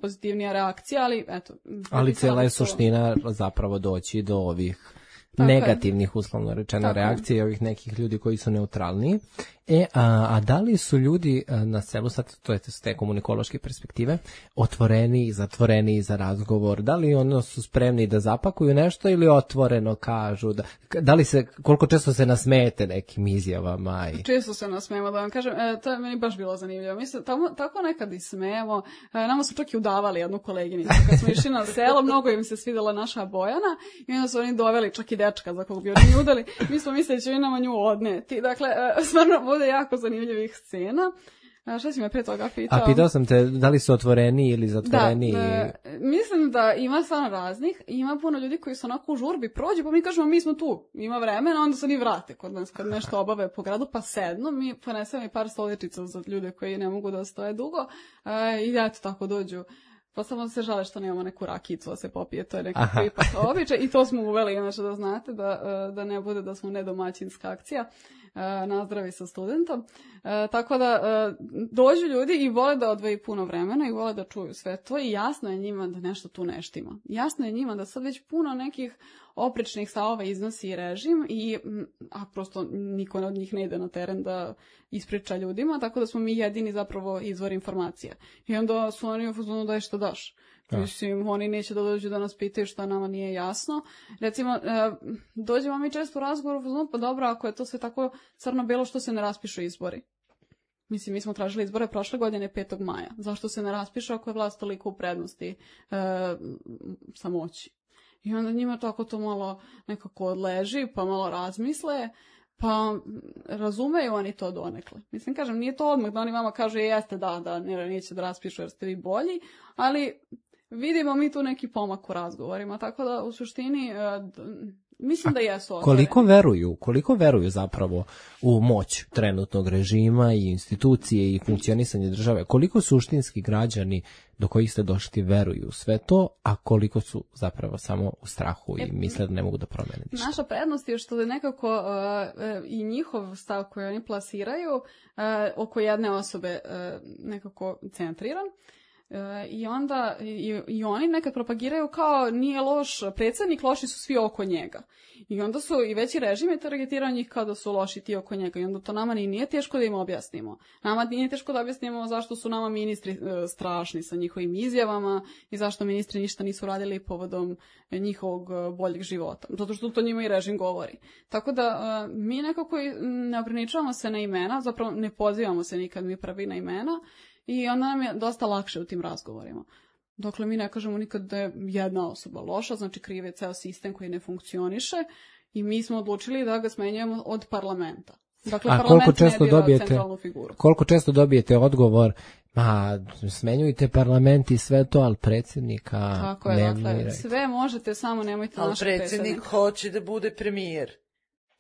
pozitivnija reakcija, ali eto.
Ali cijela je suština zapravo doći do ovih Tako negativnih, je. uslovno rečeno, Tako reakcije i ovih nekih ljudi koji su neutralni. E, a, a da li su ljudi a, na selu, sad to je s te komunikološke perspektive, otvoreni i zatvoreni za razgovor? Da li ono su spremni da zapakuju nešto ili otvoreno kažu? Da, da li se, koliko često se nasmejete nekim izjavama? I...
Često se nasmejemo, da vam kažem, e, to je meni baš bilo zanimljivo. Mi se tamo, tako nekad i smejemo. E, nama su čak i udavali jednu koleginicu. Kad smo išli na selo, mnogo im se svidela naša Bojana i onda su oni doveli čak i dečka za kog bi oni udali. Mi smo mislili da će nama nju odneti. Dakle, e, stvarno bude jako zanimljivih scena. A šta si me pre toga pitao?
A pitao sam te da li su otvoreni ili zatvoreni?
Da, e, mislim da ima stvarno raznih. Ima puno ljudi koji su onako u žurbi prođu, pa mi kažemo mi smo tu, ima vremena, onda se oni vrate kod nas kad nešto obave po gradu, pa sedno, mi ponesemo i par stoličica za ljude koji ne mogu da stoje dugo e, i eto tako dođu. Pa samo se žale što nemamo neku rakicu da se popije, to je nekako ipak običaj i to smo uveli, inače da znate, da, da ne bude da smo nedomaćinska akcija, nazdravi sa studentom. Tako da dođu ljudi i vole da odvoji puno vremena i vole da čuju sve to i jasno je njima da nešto tu ne štima. Jasno je njima da sad već puno nekih oprečnih stavova iznosi režim i a prosto niko od njih ne ide na teren da ispriča ljudima, tako da smo mi jedini zapravo izvor informacija. I onda su oni u fazonu daj što daš. Da. Mislim, oni neće da dođu da nas pitaju šta nama nije jasno. Recimo, e, dođemo mi često u razgovoru u fazonu, pa dobro, ako je to sve tako crno-belo, što se ne raspišu izbori? Mislim, mi smo tražili izbore prošle godine petog maja. Zašto se ne raspišu ako je vlast toliko u prednosti e, samoći? I onda njima tako to malo nekako odleži, pa malo razmisle, pa razumeju oni to donekle. Mislim, kažem, nije to odmah da oni vama kažu jeste da, da, ne, neće da raspišu jer ste vi bolji, ali vidimo mi tu neki pomak u razgovorima, tako da u suštini mislim da jesu otvoreni.
Koliko veruju, koliko veruju zapravo u moć trenutnog režima i institucije i funkcionisanje države? Koliko suštinski građani do kojih ste došli veruju sve to, a koliko su zapravo samo u strahu i misle da ne mogu da promene ništa?
Naša prednost je što je nekako uh, i njihov stav koji oni plasiraju uh, oko jedne osobe uh, nekako centriran. E, I onda i, i oni nekad propagiraju kao nije loš predsjednik, loši su svi oko njega. I onda su i veći režim je targetirao njih kao da su loši ti oko njega. I onda to nama nije teško da im objasnimo. Nama nije teško da objasnimo zašto su nama ministri e, strašni sa njihovim izjavama i zašto ministri ništa nisu radili povodom njihovog boljeg života. Zato što to njima i režim govori. Tako da e, mi nekako ne ograničavamo se na imena, zapravo ne pozivamo se nikad mi pravi na imena. I onda nam je dosta lakše u tim razgovorima. Dokle mi ne kažemo nikad da je jedna osoba loša, znači kriv je ceo sistem koji ne funkcioniše i mi smo odlučili da ga smenjujemo od parlamenta. Dakle,
a
parlament
koliko često
ne bira
dobijete,
centralnu figuru.
Koliko često dobijete odgovor, ma smenjujte parlament i sve to, ali predsjednika
Tako je,
ne
dakle,
mirajte.
Sve možete, samo nemojte
ali
našeg predsjednika.
Ali predsjednik hoće da bude premijer.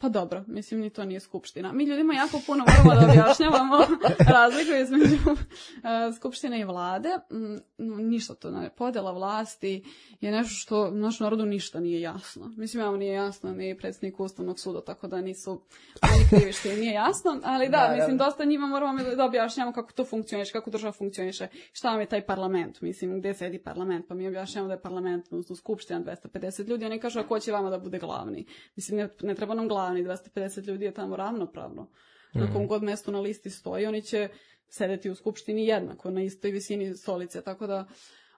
Pa dobro, mislim ni to nije skupština. Mi ljudima jako puno moramo da objašnjavamo razliku između uh, skupštine i vlade. Mm, ništa to ne. Podela vlasti je nešto što našem narodu ništa nije jasno. Mislim, ja nije jasno ni predsjednik Ustavnog suda, tako da nisu oni krivi što im nije jasno. Ali da, da mislim, dosta njima moramo da objašnjavamo kako to funkcioniše, kako država funkcioniše, šta vam je taj parlament, mislim, gde sedi parlament. Pa mi objašnjavamo da je parlament, odnosno skupština dvesta pedeset ljudi, oni kažu, a ko će vama da bude glavni? Mislim, ne, ne treba nam glavni, dvesta pedeset ljudi je tamo ravnopravno. Na kom god mestu na listi stoji, oni će sedeti u skupštini jednako, na istoj visini stolice, tako da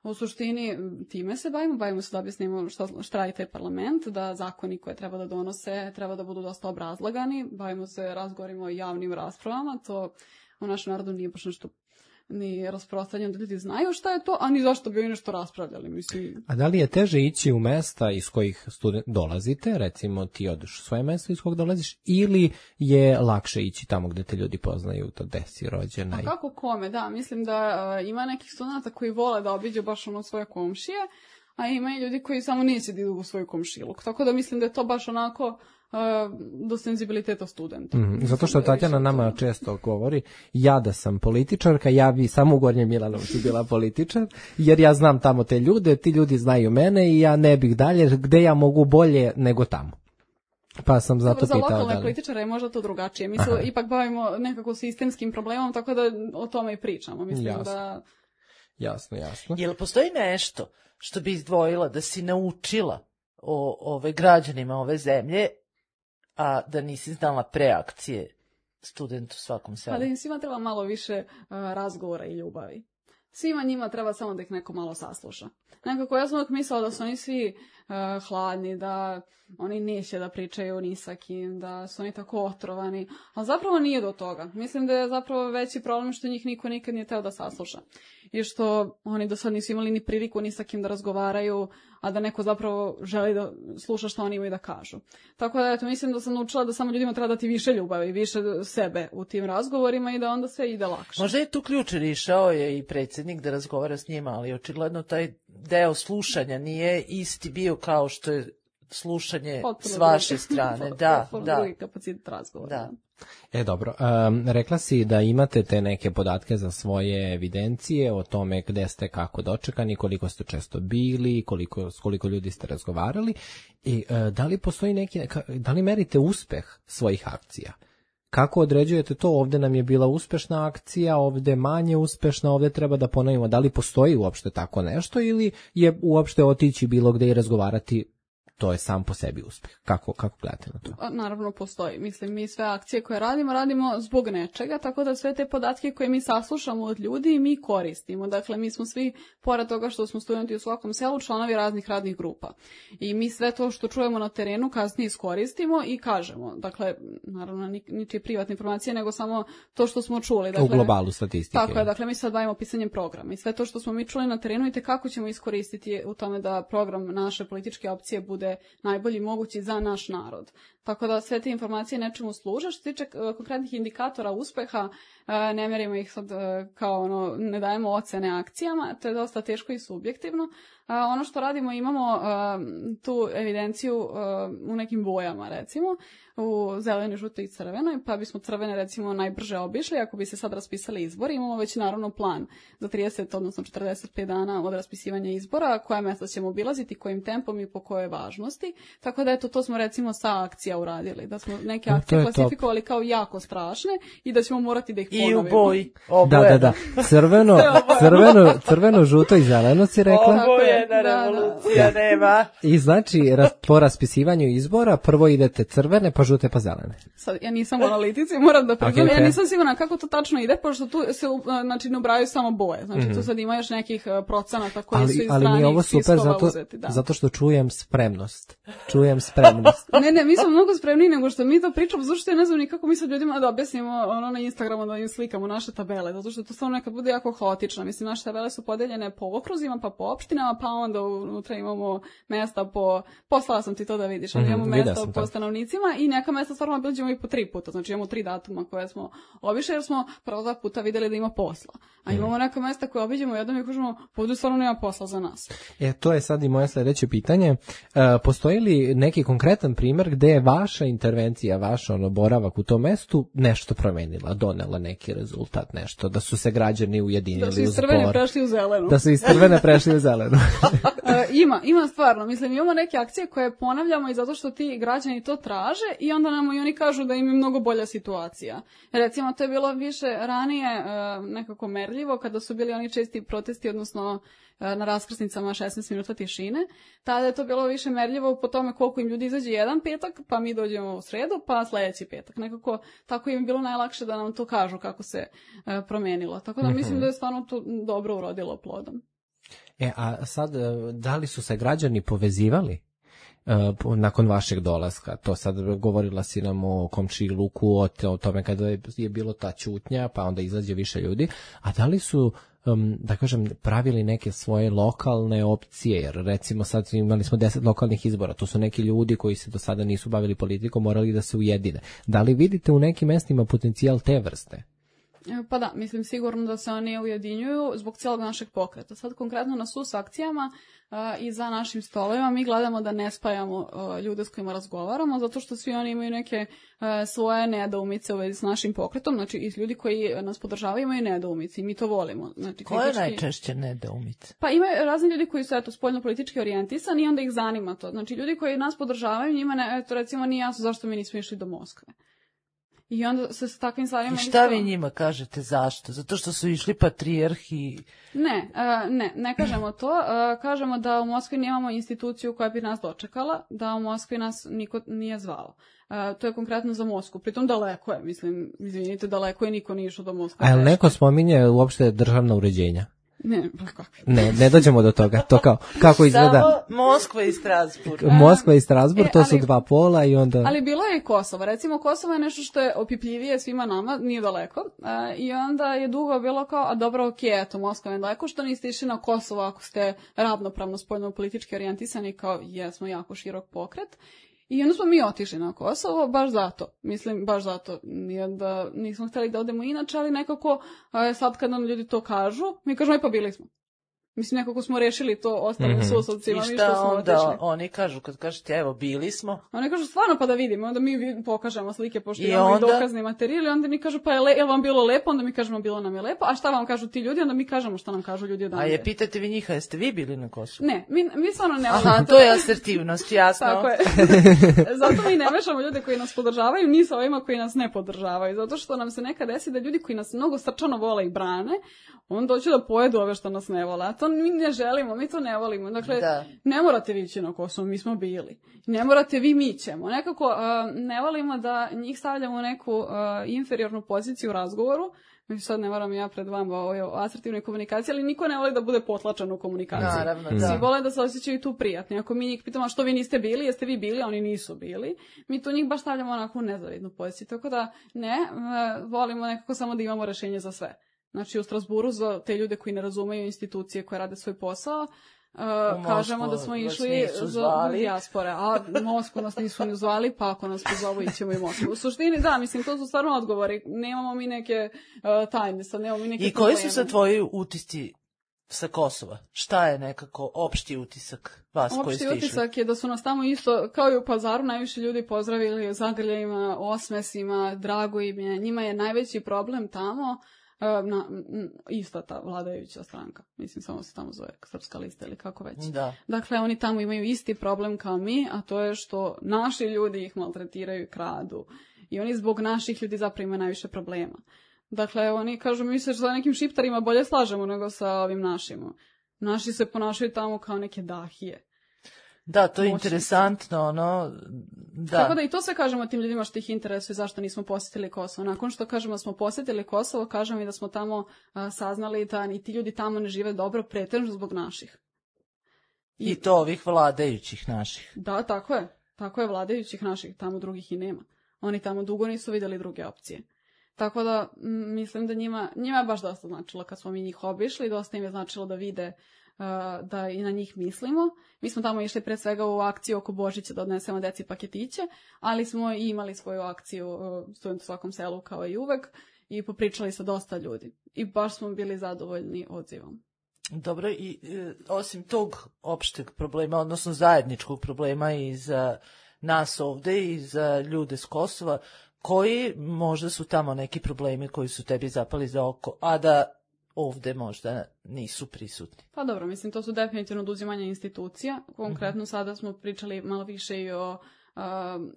u suštini time se bavimo, bavimo se da objasnimo šta, šta radi taj parlament, da zakoni koje treba da donose treba da budu dosta obrazlagani, bavimo se razgovorima o javnim raspravama, to u našem narodu nije baš nešto ni rasprostranjeno da ljudi znaju šta je to, a ni zašto bi oni nešto raspravljali. Mislim.
A da li je teže ići u mesta iz kojih student dolazite, recimo ti odeš u svoje mesto iz kojeg dolaziš, ili je lakše ići tamo gde te ljudi poznaju, to gde si rođena?
A kako kome, da, mislim da uh, ima nekih studenta koji vole da obiđu baš ono svoje komšije, a ima i ljudi koji samo neće da idu u svoj komšiluk. Tako da mislim da je to baš onako do senzibiliteta studenta.
Mm, zato što Tatjana nama često govori, ja da sam političarka, ja bi samo u Gornjem Milanovcu bila političar, jer ja znam tamo te ljude, ti ljudi znaju mene i ja ne bih dalje, gde ja mogu bolje nego tamo. Pa sam zato
Dobro,
pitao
za lokalne
da li... političare
je možda to drugačije. Mi se ipak bavimo nekako sistemskim problemom, tako da o tome i pričamo. Mislim
jasno.
da...
Jasno, jasno.
Jel postoji nešto što bi izdvojila da si naučila o ove građanima ove zemlje, a da nisi znala preakcije student u svakom selu?
Pa da im svima treba malo više uh, razgovora i ljubavi. Svima njima treba samo da ih neko malo sasluša. Nekako ja sam uvijek mislila da su oni svi uh, hladni, da oni neće da pričaju ni sa kim, da su oni tako otrovani, ali zapravo nije do toga. Mislim da je zapravo veći problem što njih niko nikad nije teo da sasluša. I što oni do sad nisu imali ni priliku ni sa kim da razgovaraju, a da neko zapravo želi da sluša što oni imaju da kažu. Tako da, eto, mislim da sam naučila da samo ljudima treba dati više ljubavi, više sebe u tim razgovorima i da onda sve ide lakše.
Možda je tu ključ, išao je i predsjednik da razgovara s njima, ali očigledno taj deo slušanja nije isti bio kao što je slušanje potpuno s vaše strane. Da, da.
Drugi kapacitet razgovora.
Da.
E, dobro. Um, rekla si da imate te neke podatke za svoje evidencije o tome gde ste kako dočekani, koliko ste često bili, koliko, s koliko ljudi ste razgovarali. I uh, da li postoji neki, da li merite uspeh svojih akcija? Kako određujete to? Ovde nam je bila uspešna akcija, ovde manje uspešna, ovde treba da ponovimo. Da li postoji uopšte tako nešto ili je uopšte otići bilo gde i razgovarati, to je sam po sebi uspeh? Kako, kako gledate na to?
Naravno postoji. Mislim, mi sve akcije koje radimo, radimo zbog nečega, tako da sve te podatke koje mi saslušamo od ljudi mi koristimo. Dakle, mi smo svi, pored toga što smo studenti u svakom selu, članovi raznih radnih grupa. I mi sve to što čujemo na terenu kasnije iskoristimo i kažemo. Dakle, naravno, ničije privatne informacije, nego samo to što smo čuli. Dakle,
u globalu statistike.
Tako je, dakle, mi sad bavimo pisanjem programa. I sve to što smo mi čuli na terenu i te kako ćemo iskoristiti u tome da program naše političke opcije bude najbolji mogući za naš narod. Tako da sve te informacije nečemu služe. Što se tiče uh, konkretnih indikatora uspeha, uh, ne merimo ih sad uh, kao ono, ne dajemo ocene akcijama, to je dosta teško i subjektivno. Uh, ono što radimo, imamo uh, tu evidenciju uh, u nekim bojama, recimo, u zelenoj, žutoj i crvenoj, pa bismo crvene, recimo, najbrže obišli. Ako bi se sad raspisali izbori, imamo već naravno plan za trideset, odnosno četrdeset pet dana od raspisivanja izbora, koja mesta ćemo obilaziti, kojim tempom i po kojoj važnosti. Tako da, eto, to smo recimo sa akcija uradili, da smo neke akcije no, klasifikovali top. Kao jako strašne i da ćemo morati da ih ponovimo.
I u boji.
Da, da, da. Crveno, crveno, crveno, žuto i zeleno si rekla.
Obojena revolucija da. Nema.
I znači, po raspisivanju izbora prvo idete crvene, pa žute, pa zelene.
Sad, ja nisam u analitici, moram da priznam, okay, okay. Ja nisam sigurna kako to tačno ide, pošto tu se, znači, ne ubrajaju samo boje. Znači, mm-hmm. tu sad ima još nekih procenata koji ali, su iz
ali mi je ovo super zato,
uzeti. Da.
Zato što čujem spremnost. Čujem spremnost.
ne, ne, mi smo mnogo spremniji nego što mi to pričamo, zato što ja ne znam ni kako mi sad ljudima da objasnimo ono na Instagramu, da im slikamo naše tabele, zato što to stvarno nekad bude jako haotično. Mislim, naše tabele su podeljene po okruzima, pa po opštinama, pa onda unutra imamo mesta po... Poslala sam ti to da vidiš, ali imamo
Mm,
mesta
vidio sam
po
to.
stanovnicima i neka mesta stvarno obiđemo i po tri puta. Znači imamo tri datuma koje smo obišli jer smo prvo dva puta videli da ima posla. A imamo neka mesta koje obiđemo jednom i kažemo, ovdje stvarno nema posla za nas.
E, to je sad i moje sljedeće pitanje. E, postoji li neki konkretan primjer gde je vaša intervencija, vaš ono, boravak u tom mestu nešto promenila, donela neki rezultat, nešto, da su se građani ujedinili
Da su
u
iz crvene
zbor?
prešli u zelenu.
Da su iz crvene prešli u zelenu.
E, ima, ima stvarno. Mislim, imamo neke akcije koje ponavljamo i zato što ti građani to traže i onda nam i oni kažu da im je mnogo bolja situacija. Recimo, to je bilo više ranije e, nekako merljivo kada su bili oni česti protesti, odnosno e, na raskrsnicama šesnaest minuta tišine. Tada je to bilo više merljivo po tome koliko im ljudi izađe jedan petak, pa mi dođemo u sredu, pa sljedeći petak. Nekako tako im je bilo najlakše da nam to kažu kako se e, promenilo. Tako da mislim da je stvarno to dobro urodilo plodom.
E, a sad, e, da li su se građani povezivali e, po- nakon vašeg dolaska? To sad govorila si nam o komšiluku, o, te- o tome kada je, je bilo ta ćutnja, pa onda izađe više ljudi. A da li su, um, da kažem, pravili neke svoje lokalne opcije? Jer recimo sad imali smo deset lokalnih izbora, to su neki ljudi koji se do sada nisu bavili politikom, morali da se ujedine. Da li vidite u nekim mestima potencijal te vrste?
Pa da, mislim sigurno da se oni ujedinjuju zbog cijelog našeg pokreta. Sad konkretno na S U S akcijama uh, i za našim stolovima mi gledamo da ne spajamo uh, ljude s kojima razgovaramo, zato što svi oni imaju neke uh, svoje nedoumice u vezi s našim pokretom, znači i ljudi koji nas podržavaju imaju nedoumice i mi to volimo. Znači,
Koje
kritički-
najčešće nedoumice?
Pa ima razni ljudi koji su eto spoljno politički orijentisani i onda ih zanima to. Znači ljudi koji nas podržavaju, njima ne, eto recimo nije jasno zašto mi nismo išli do Moskve. I onda se s takvim stvarima...
I šta
isto-
vi njima kažete zašto? Zato što su išli patrijarh i...
Ne, e, ne, ne kažemo to. E, kažemo da u Moskvi nemamo instituciju koja bi nas dočekala, da u Moskvi nas niko nije zvao. E, to je konkretno za Moskvu. Pritom daleko je, mislim, izvinite, daleko je, niko nije išao do Moskve.
A jel neko spominje uopšte državna uređenja?
Ne, pa kakvi.
Ne, ne dođemo do toga. To kao, kako izgleda
Samo Moskva i Strasburg.
Moskva i Strasbourg,
E,
to su
ali-
dva pola i onda...
Ali bilo je i Kosovo. Recimo, Kosovo je nešto što je opipljivije svima nama, nije daleko. E, I onda je dugo bilo kao, a dobro, ok, eto, Moskva je daleko, što niste išli na Kosovo ako ste ravnopravno spoljno politički orijentisani, kao jesmo jako širok pokret. I onda smo mi otišli na Kosovo, baš zato. Mislim, baš zato. Nije da nismo htjeli da odemo inače, ali nekako e, sad kad nam ljudi to kažu, mi kažemo, aj pa bili smo. Mislim, nekako smo rešili to ostalim
Mhm.
I
susovcima, mi što
šta
smo
onda
otišli.
oni kažu kad kažete evo bili smo?
Oni kažu stvarno pa da vidimo, onda mi vi- pokažemo slike pošto
I
imamo i
onda?
dokazni materijal i onda mi kažu pa je, le, je vam bilo lepo, onda mi kažemo bilo nam je lepo, a šta vam kažu ti ljudi, onda mi kažemo šta nam kažu ljudi
A
odavde.
je pitate vi njih, a jeste vi bili na Kosovu?
Ne, mi, mi stvarno ne
Aha, to je asertivnost, jasno.
Tako je. Zato mi ne mešamo ljude koji nas podržavaju ni sa ovima koji nas ne podržavaju. Zato što nam se nekad desi da ljudi koji nas mnogo srčano vole i brane, on doće da pojedu ove što nas ne vole. A to mi ne želimo, mi to ne volimo. Dakle,
Da.
ne morate vi ići na Kosovo, mi smo bili. Ne morate vi, mi ćemo. Nekako uh, ne volimo da njih stavljamo u neku uh, inferiornu poziciju u razgovoru. Mi sad ne moram ja pred vama o, o asertivnoj komunikaciji, ali niko ne voli da bude potlačan u komunikaciji.
Naravno,
Mm.
da.
Svi vole da se osjećaju tu prijatni. Ako mi njih pitamo a što vi niste bili, jeste vi bili, a oni nisu bili, mi tu njih baš stavljamo onako u nezavidnu poziciju. Tako da ne, e, volimo nekako samo da imamo rešenje za sve. Znači u Strasburu za te ljude koji ne razumeju institucije koje rade svoj posao, Uh,
Moskvu
kažemo da smo
vas
išli
nisu
za
zvali.
dijaspore, a Moskvu nas nisu ni zvali, pa ako nas pozovu ićemo i Moskvu. U suštini, da, mislim, to su stvarno odgovori. Nemamo mi neke uh, tajne, sad nemamo mi neke
I koji su
probleme.
sad tvoji utisci sa Kosova? Šta je nekako opšti utisak vas koji
Opšti
ste išli?
utisak je da su nas tamo isto, kao i u Pazaru, najviše ljudi pozdravili zagrljajima, osmesima, drago im je. Njima je najveći problem tamo e, na, m, ista ta vladajuća stranka. Mislim, samo se tamo zove Srpska lista ili kako već.
Da.
Dakle, oni tamo imaju isti problem kao mi, a to je što naši ljudi ih maltretiraju i kradu. I oni zbog naših ljudi zapravo imaju najviše problema. Dakle, oni kažu, mi se sa nekim šiptarima bolje slažemo nego sa ovim našima. Naši se ponašaju tamo kao neke dahije.
Da, to je
Moćnici.
interesantno, ono, da.
Tako da i to sve kažemo tim ljudima što ih interesuje zašto nismo posjetili Kosovo. Nakon što kažemo da smo posjetili Kosovo, kažemo i da smo tamo a, saznali da ni ti ljudi tamo ne žive dobro, pretežno zbog naših.
I to ovih vladajućih naših.
Da, tako je. Tako je, vladajućih naših, tamo drugih i nema. Oni tamo dugo nisu vidjeli druge opcije. Tako da m, mislim da njima, njima je baš dosta značilo kad smo mi njih obišli, dosta im je značilo da vide uh, da i na njih mislimo. Mi smo tamo išli pre svega u akciju oko Božića da odnesemo deci paketiće, ali smo i imali svoju akciju uh, Student u svakom selu kao i uvek i popričali sa dosta ljudi. I baš smo bili zadovoljni odzivom.
Dobro, i e, osim tog opšteg problema, odnosno zajedničkog problema i za nas ovde i za ljude s Kosova, koji možda su tamo neki problemi koji su tebi zapali za oko, a da ovde možda nisu prisutni?
Pa dobro, mislim, to su definitivno oduzimanje institucija. Konkretno mm-hmm. sada smo pričali malo više i o, uh,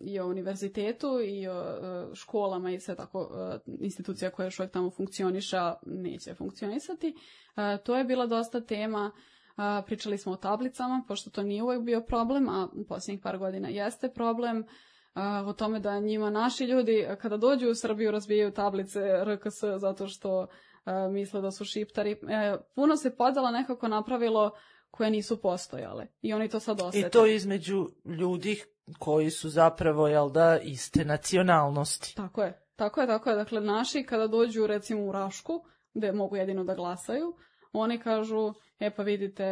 i o univerzitetu i o uh, školama i sve tako uh, institucija koja još uvijek tamo funkcioniša, neće funkcionisati. Uh, to je bila dosta tema. Uh, pričali smo o tablicama, pošto to nije uvijek bio problem, a u posljednjih par godina jeste problem. Uh, o tome da njima naši ljudi kada dođu u Srbiju razbijaju tablice R K S zato što uh, misle da su šiptari. E, puno se podela nekako napravilo koje nisu postojale i oni to sad osjete.
I to između ljudi koji su zapravo, jel da, iste nacionalnosti.
Tako je, tako je, tako je. Dakle, naši kada dođu recimo u Rašku, gde mogu jedino da glasaju, oni kažu, e pa vidite,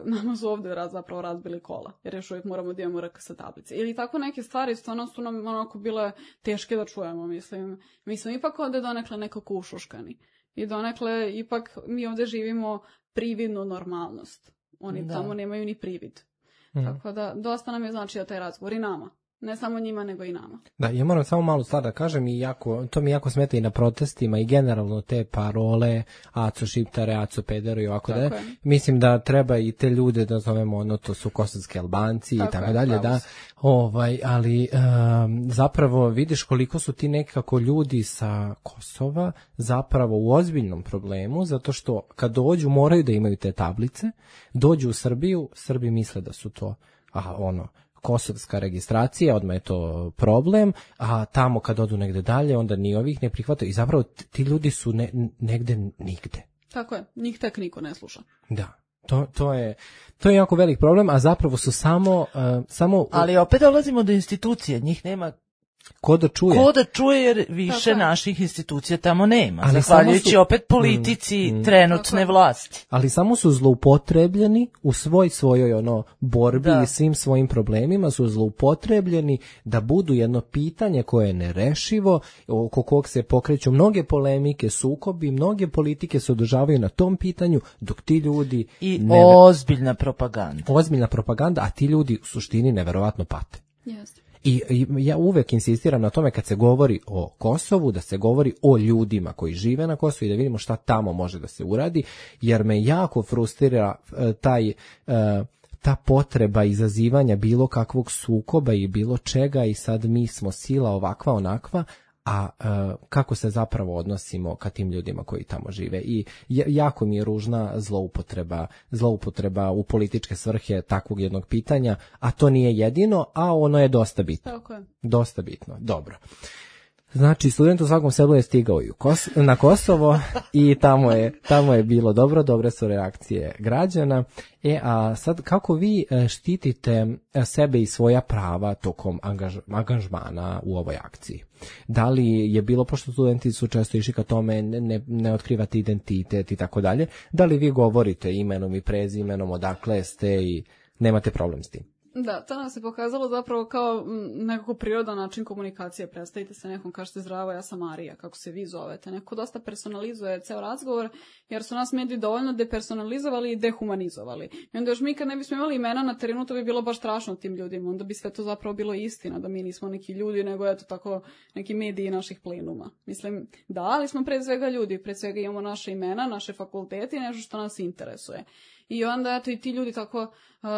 nama su ovdje raz, zapravo razbili kola, jer još uvijek moramo da imamo R K S tablice. Ili tako neke stvari stvarno su nam onako bile teške da čujemo, mislim. Mi smo ipak ovdje donekle nekako ušuškani. I donekle ipak mi ovdje živimo prividnu normalnost. Oni da. Tamo nemaju ni privid. Mm. Tako da dosta nam je značio taj razgovor i nama. Ne samo njima, nego i nama.
Da, ja moram samo malo stvar da kažem i jako, to mi jako smeta i na protestima i generalno te parole aco šiptare, aco pedero i ovako da. Mislim da treba i te ljude da zovemo, ono, to su kosovski Albanci tako i tako je, dalje, da. Ovaj, ali um, zapravo vidiš koliko su ti nekako ljudi sa Kosova zapravo u ozbiljnom problemu, zato što kad dođu moraju da imaju te tablice, dođu u Srbiju, Srbi misle da su to, a ono, kosovska registracija, odmah je to problem, a tamo kad odu negde dalje, onda ni ovih ne prihvataju i zapravo ti ljudi su ne, negde nigde.
Tako je, njih tek niko ne sluša.
Da, to, to, je, to je jako velik problem, a zapravo su samo... Uh, samo...
Ali opet dolazimo do institucije, njih nema...
Ko da čuje?
Ko da čuje, jer više naših institucija tamo nema. Ali zahvaljujući su, opet politici mm, trenutne tako. Vlasti.
Ali samo su zloupotrebljeni u svoj svojoj ono borbi da. I svim svojim problemima su zloupotrebljeni da budu jedno pitanje koje je nerešivo, oko kog se pokreću mnoge polemike, sukobi, mnoge politike se održavaju na tom pitanju, dok ti ljudi...
I ne... ozbiljna propaganda.
Ozbiljna propaganda, a ti ljudi u suštini neverovatno pate.
Jeste.
I, I ja uvek insistiram na tome kad se govori o Kosovu, da se govori o ljudima koji žive na Kosovu i da vidimo šta tamo može da se uradi, jer me jako frustrira taj, ta potreba izazivanja bilo kakvog sukoba i bilo čega i sad mi smo sila ovakva onakva, a uh, kako se zapravo odnosimo ka tim ljudima koji tamo žive. I jako mi je ružna zloupotreba, zloupotreba u političke svrhe takvog jednog pitanja, a to nije jedino, a ono je dosta bitno.
Tako je.
Dosta bitno, dobro. Znači, student u svakom selu je stigao i u Kos- na Kosovo i tamo je, tamo je bilo dobro, dobre su reakcije građana. E, a sad kako vi štitite sebe i svoja prava tokom angaž- angažmana u ovoj akciji? Da li je bilo, pošto studenti su često išli ka tome, ne, ne otkrivate identitet i tako dalje, da li vi govorite imenom i prezimenom, odakle ste i nemate problem s tim?
Da, to nam se pokazalo zapravo kao nekako prirodan način komunikacije. Predstavite se nekom, kažete zdravo, ja sam Marija, kako se vi zovete. Neko dosta personalizuje ceo razgovor, jer su nas mediji dovoljno depersonalizovali i dehumanizovali. I onda još mi kad ne bismo imali imena na terenu, to bi bilo baš strašno tim ljudima. Onda bi sve to zapravo bilo istina, da mi nismo neki ljudi, nego eto tako neki mediji naših plenuma. Mislim, da, ali smo pre svega ljudi, pre svega imamo naše imena, naše fakultete i nešto što nas interesuje. I onda eto i ti ljudi tako uh,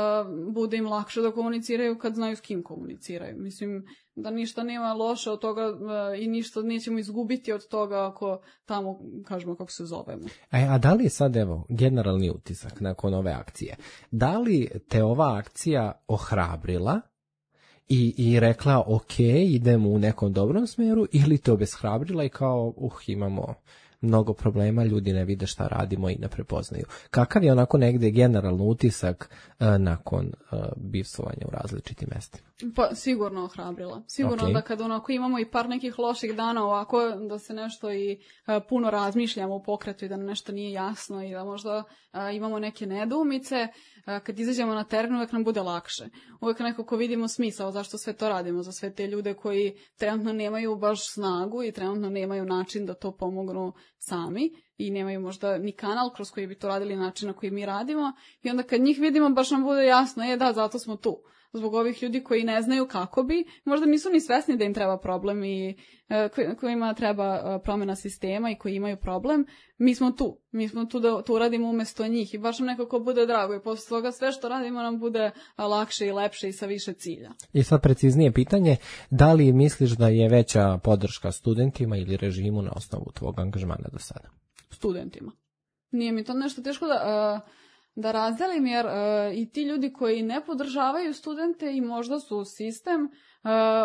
bude im lakše da komuniciraju kad znaju s kim komuniciraju. Mislim da ništa nema loše od toga uh, i ništa nećemo izgubiti od toga ako tamo kažemo kako se zovemo.
A, a da li je sad evo generalni utisak nakon ove akcije? Da li te ova akcija ohrabrila i, i rekla ok, idemo u nekom dobrom smeru ili te obeshrabrila i kao uh imamo mnogo problema, ljudi ne vide šta radimo i ne prepoznaju. Kakav je onako negde generalno utisak uh, nakon uh, bivstvovanja u različitim mestima?
Pa sigurno ohrabrila. Sigurno okay. Da kad onako imamo i par nekih loših dana ovako, da se nešto i uh, puno razmišljamo u pokretu i da nam nešto nije jasno i da možda uh, imamo neke nedoumice, uh, kad izađemo na teren uvek nam bude lakše. Uvek nekako vidimo smisao zašto sve to radimo, za sve te ljude koji trenutno nemaju baš snagu i trenutno nemaju način da to pomognu sami i nemaju možda ni kanal kroz koji bi to radili način na koji mi radimo i onda kad njih vidimo baš nam bude jasno, je da, zato smo tu. Zbog ovih ljudi koji ne znaju kako bi, možda nisu ni svesni da im treba problem i e, kojima treba promjena sistema i koji imaju problem, mi smo tu. Mi smo tu da to uradimo umjesto njih i baš nam nekako bude drago i posle toga sve što radimo nam bude lakše i lepše i sa više cilja.
I sad preciznije pitanje, da li misliš da je veća podrška studentima ili režimu na osnovu tvog angažmana do sada?
Studentima. Nije mi to nešto teško da... Uh, da razdelim, jer uh, i ti ljudi koji ne podržavaju studente i možda su sistem, uh,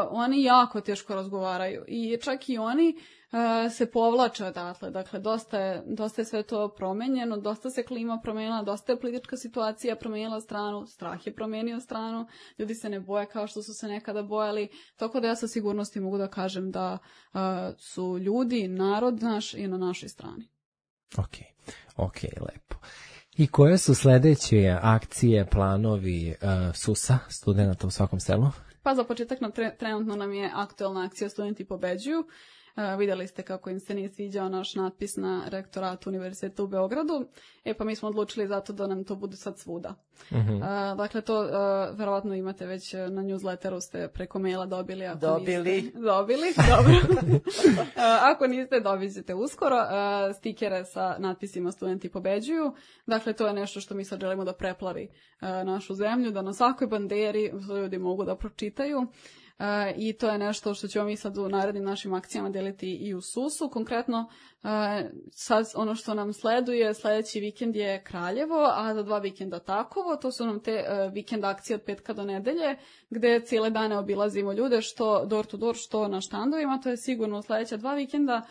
oni jako teško razgovaraju i čak i oni uh, se povlače odatle. Dakle, dosta je, dosta je sve to promenjeno, dosta se klima promenila, dosta je politička situacija promenila stranu, strah je promenio stranu, ljudi se ne boje kao što su se nekada bojali, tako da ja sa sigurnosti mogu da kažem da uh, su ljudi, narod naš i na našoj strani.
Ok, ok, lepo. I koje su sledeće akcije, planovi uh, S U S-a, studenta u svakom selu?
Pa za početak nam tre, trenutno nam je aktualna akcija Studenti pobeđuju. Uh, vidjeli ste kako im se nije sviđao naš natpis na rektoratu Univerziteta u Beogradu. E pa mi smo odlučili zato da nam to bude sad svuda. Uh-huh. Uh, dakle, to uh, verovatno imate već na newsletteru, ste preko maila dobili. Ako
dobili.
Niste, dobili, dobro. uh, ako niste, dobit ćete uskoro uh, stikere sa natpisima Studenti pobeđuju. Dakle, to je nešto što mi sad želimo da preplavi uh, našu zemlju, da na svakoj banderi ljudi mogu da pročitaju. Uh, i to je nešto što ćemo mi sad u narednim našim akcijama deliti i u S U S-u. Konkretno, uh, sad ono što nam sleduje, sljedeći vikend je Kraljevo, a za dva vikenda Takovo. To su nam te uh, vikend akcije od petka do nedelje, gde cijele dane obilazimo ljude, što door to door, što na štandovima. To je sigurno sljedeća dva vikenda.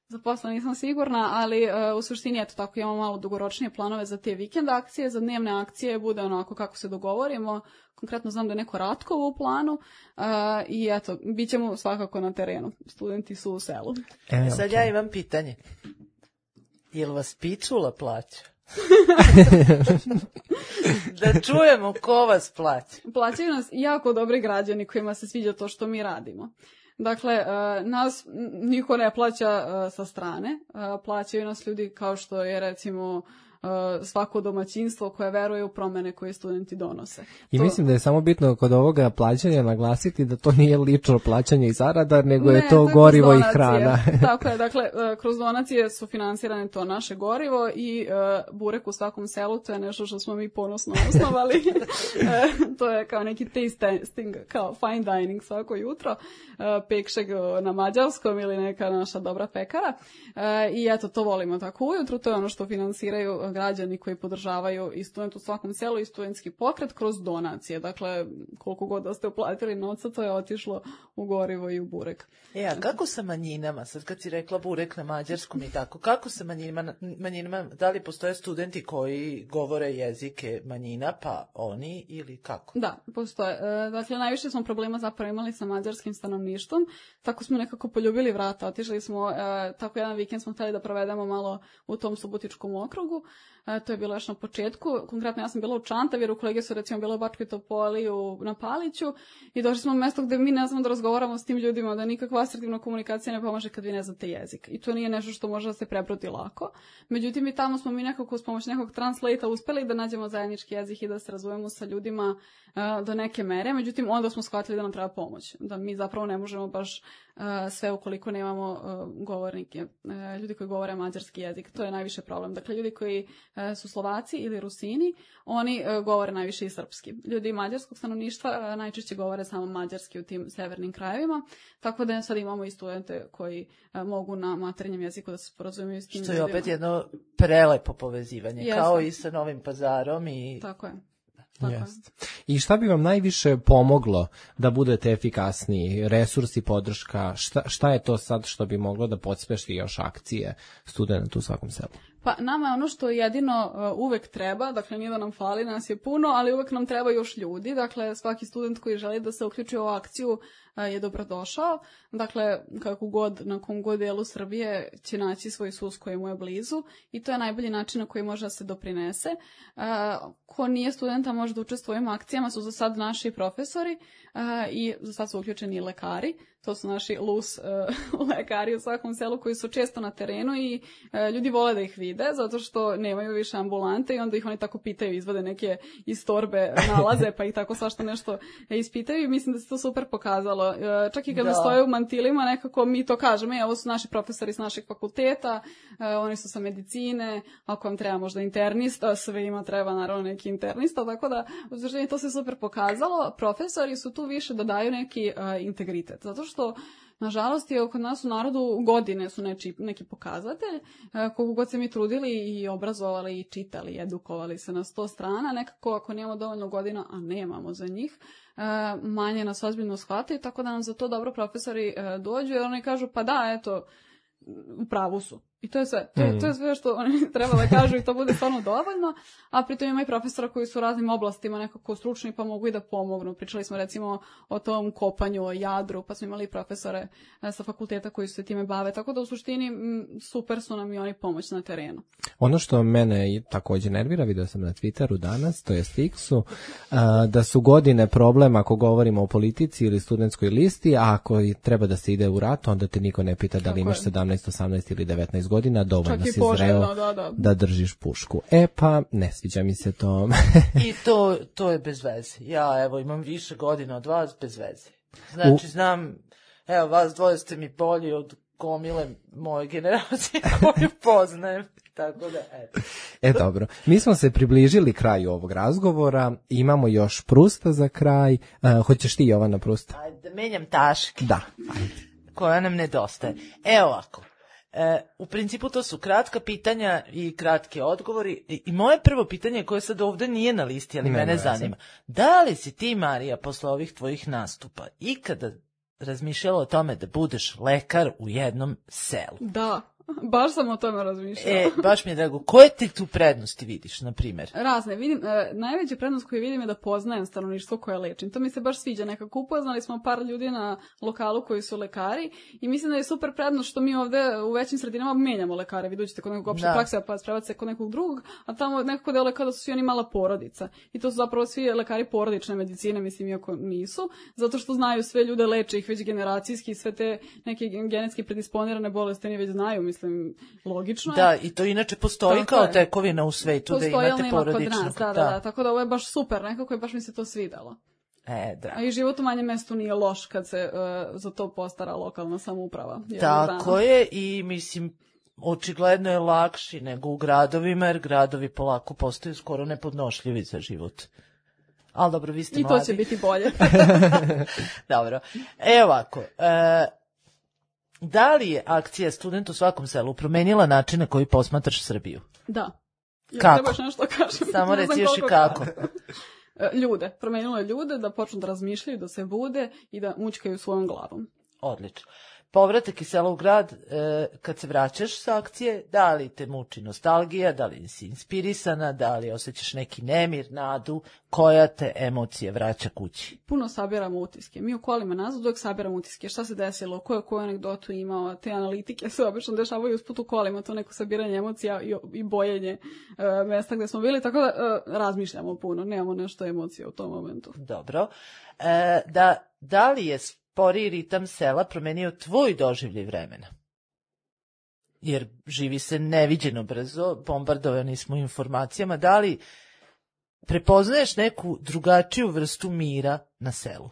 Za posle nisam sigurna, ali uh, u suštini eto tako imamo malo dugoročnije planove za te vikend akcije, za dnevne akcije bude onako kako se dogovorimo. Konkretno znam da je neko Ratkovo u planu uh, i eto, bit ćemo svakako na terenu. Studenti su u selu.
E, sad ja imam pitanje. Jel vas Pičula plaća? Da čujemo ko vas plaća.
Plaćaju nas jako dobri građani kojima se sviđa to što mi radimo. Dakle, nas niko ne plaća sa strane, plaćaju nas ljudi kao što je recimo svako domaćinstvo koje veruje u promene koje studenti donose.
I
to...
mislim da je samo bitno kod ovoga plaćanja naglasiti da to nije lično plaćanje i zarada, nego
ne,
je to, to gorivo i hrana.
Tako je, dakle, kroz donacije su finansirane to naše gorivo i uh, burek u svakom selu, to je nešto što smo mi ponosno osnovali. To je kao neki taste testing, kao fine dining svako jutro, uh, pekšeg na mađarskom ili neka naša dobra pekara. Uh, I eto, to volimo tako ujutru, to je ono što finansiraju građani koji podržavaju i student u svakom selu i studentski pokret kroz donacije. Dakle, koliko god da ste uplatili novca, to je otišlo u gorivo i u burek.
E, a kako sa manjinama? Sad kad si rekla burek na mađarskom i tako, kako sa manjinama? manjinama da li postoje studenti koji govore jezike manjina, pa oni ili kako?
Da, postoje. E, dakle, najviše smo problema zapravo imali sa mađarskim stanovništvom. Tako smo nekako poljubili vrata. Otišli smo, e, tako jedan vikend smo htjeli da provedemo malo u tom Subotičkom okrugu. E, to je bilo još na početku. Konkretno ja sam bila u Čantaviru, kolege su recimo bila u Bačkoj Topoli, u, na Paliću i došli smo u mjesto gdje mi ne znamo da razgovaramo s tim ljudima, da nikakva asertivna komunikacija ne pomaže kad vi ne znate jezik. I to nije nešto što može da se prebrodi lako. Međutim, i tamo smo mi nekako s pomoć nekog translata uspeli da nađemo zajednički jezik i da se razumemo sa ljudima uh, do neke mere. Međutim, onda smo shvatili da nam treba pomoć. Da mi zapravo ne možemo baš uh, sve ukoliko nemamo uh, govornike, uh, ljudi koji govore mađarski jezik. To je najviše problem. Dakle, ljudi koji uh, su Slovaci ili Rusini, oni uh, govore najviše i srpski. Ljudi mađarskog stanovništva uh, najčešće govore samo mađarski u tim severnim krajevima, tako da sad imamo i studente koji uh, mogu na maternjem jeziku da se sporazumiju s tim
Što je
ljudima.
opet jedno prelepo povezivanje,
Jeste.
Kao i sa Novim Pazarom. I...
Tako je. Tako
Jest. I šta bi vam najviše pomoglo da budete efikasniji? Resursi, podrška, šta, šta je to sad što bi moglo da podspeši još akcije studenta u svakom selu?
Pa nama je ono što jedino uh, uvek treba, dakle nije da nam fali, nas je puno, ali uvek nam treba još ljudi, dakle svaki student koji želi da se uključi u ovu akciju uh, je dobrodošao, dakle kako god, na kom god delu Srbije će naći svoj sus koji mu je blizu i to je najbolji način na koji može da se doprinese. Uh, ko nije studenta može da učestvuje u ovim akcijama su za sad naši profesori uh, i za sad su uključeni i lekari. To su naši lus uh, lekari u svakom selu koji su često na terenu i uh, ljudi vole da ih vide zato što nemaju više ambulante i onda ih oni tako pitaju, izvade neke iz torbe nalaze pa ih tako svašta nešto ispitaju i mislim da se to super pokazalo. Uh, čak i kad da. stoje u mantilima nekako mi to kažemo, e, ovo su naši profesori s našeg fakulteta, uh, oni su sa medicine, ako vam treba možda internista, svima treba naravno neki internista, tako da u suštini to se super pokazalo. Profesori su tu više da daju neki uh, integritet, zato što nažalost je kod nas u narodu godine su neči, neki pokazatelj, e, koliko god se mi trudili i obrazovali i čitali i edukovali se na sto strana, nekako ako nemamo dovoljno godina, a nemamo za njih, e, manje nas ozbiljno shvataju, tako da nam za to dobro profesori e, dođu jer oni kažu pa da, eto, u pravu su. I to je sve. To, mm. to je sve što oni treba da kažu i to bude stvarno dovoljno, a pritom ima i profesora koji su u raznim oblastima nekako stručni pa mogu i da pomognu. Pričali smo recimo o tom kopanju, o jadru, pa smo imali profesore sa fakulteta koji se time bave, tako da u suštini m, super su nam i oni pomoć na terenu.
Ono što mene takođe nervira, vidio sam na Twitteru danas, to je Stixu, da su godine problem ako govorimo o politici ili studentskoj listi, a ako treba da se ide u rat, onda te niko ne pita da li imaš sedamnaest, osamnaest ili devetnaest godina, dovoljno si zreo da, da. da držiš pušku. E pa, ne sviđa mi se to.
I to, to je bez veze. Ja, evo, imam više godina od vas, bez veze. Znači, U... znam, evo, vas dvoje ste mi bolji od gomile moje generacije koju poznajem. Tako da, eto.
E, dobro. Mi smo se približili kraju ovog razgovora. Imamo još Prusta za kraj. Uh, hoćeš ti, Jovana, Prusta?
Ajde, da menjam taške.
Da. Ajde.
Koja nam nedostaje. Evo ovako. E, u principu to su kratka pitanja i kratki odgovori i, i moje prvo pitanje koje sad ovde nije na listi, ali ne, mene ne, zanima. Da li si ti, Marija, posle ovih tvojih nastupa ikada razmišljala o tome da budeš lekar u jednom selu?
Da. Baš sam o tome razmišljala.
E, baš mi je drago. Koje ti tu prednosti vidiš, na primjer?
Razne. Vidim, e, najveća prednost koju vidim je da poznajem stanovništvo koje lečim. To mi se baš sviđa. Nekako upoznali smo par ljudi na lokalu koji su lekari i mislim da je super prednost što mi ovde u većim sredinama menjamo lekare. Vi dođete kod nekog opšte prakse, pa spravate se kod nekog drugog, a tamo nekako delo kao da su svi oni mala porodica. I to su zapravo svi lekari porodične medicine, mislim, iako nisu, zato što znaju sve ljude, leče ih već generacijski, sve te neke genetski predisponirane bolesti oni već znaju, mislim, logično je.
Da, i to inače postoji tako kao je. Tekovina u svetu da imate porodičnog.
Nas, da, da, da, tako da ovo je baš super, nekako je baš mi se to svidelo.
E, da.
A i život u manjem mestu nije loš kad se uh, za to postara lokalna samouprava.
Tako dana. Je i mislim, očigledno je lakši nego u gradovima, jer gradovi polako postaju skoro nepodnošljivi za život. Ali dobro, vi ste
I
mladi.
I to će biti bolje.
Dobro. E ovako, e, da li je akcija Student u svakom selu promenila način na koji posmatraš Srbiju?
Da.
Ja, kako?
Nešto kažem.
Samo reci još i kako.
Ljude. Promenilo je ljude da počnu da razmišljaju, da se bude i da mućkaju svojom glavom.
Odlično. Povratak iz sela u grad, e, kad se vraćaš sa akcije, da li te muči nostalgija, da li si inspirisana, da li osjećaš neki nemir, nadu, koja te emocije vraća kući?
Puno sabiramo utiske. Mi u kolima nazad uvijek sabiramo utiske. Šta se desilo, ko je koju anegdotu imao, te analitike se obično dešavaju usput u kolima, to neko sabiranje emocija i, i bojenje e, mesta gde smo bili, tako da e, razmišljamo puno, nemamo nešto emocije u tom momentu.
Dobro. E, da, da li je sporiji ritam sela promenio tvoj doživljaj vremena? Jer živi se neviđeno brzo, bombardovani smo informacijama. Da li prepoznaješ neku drugačiju vrstu mira na selu?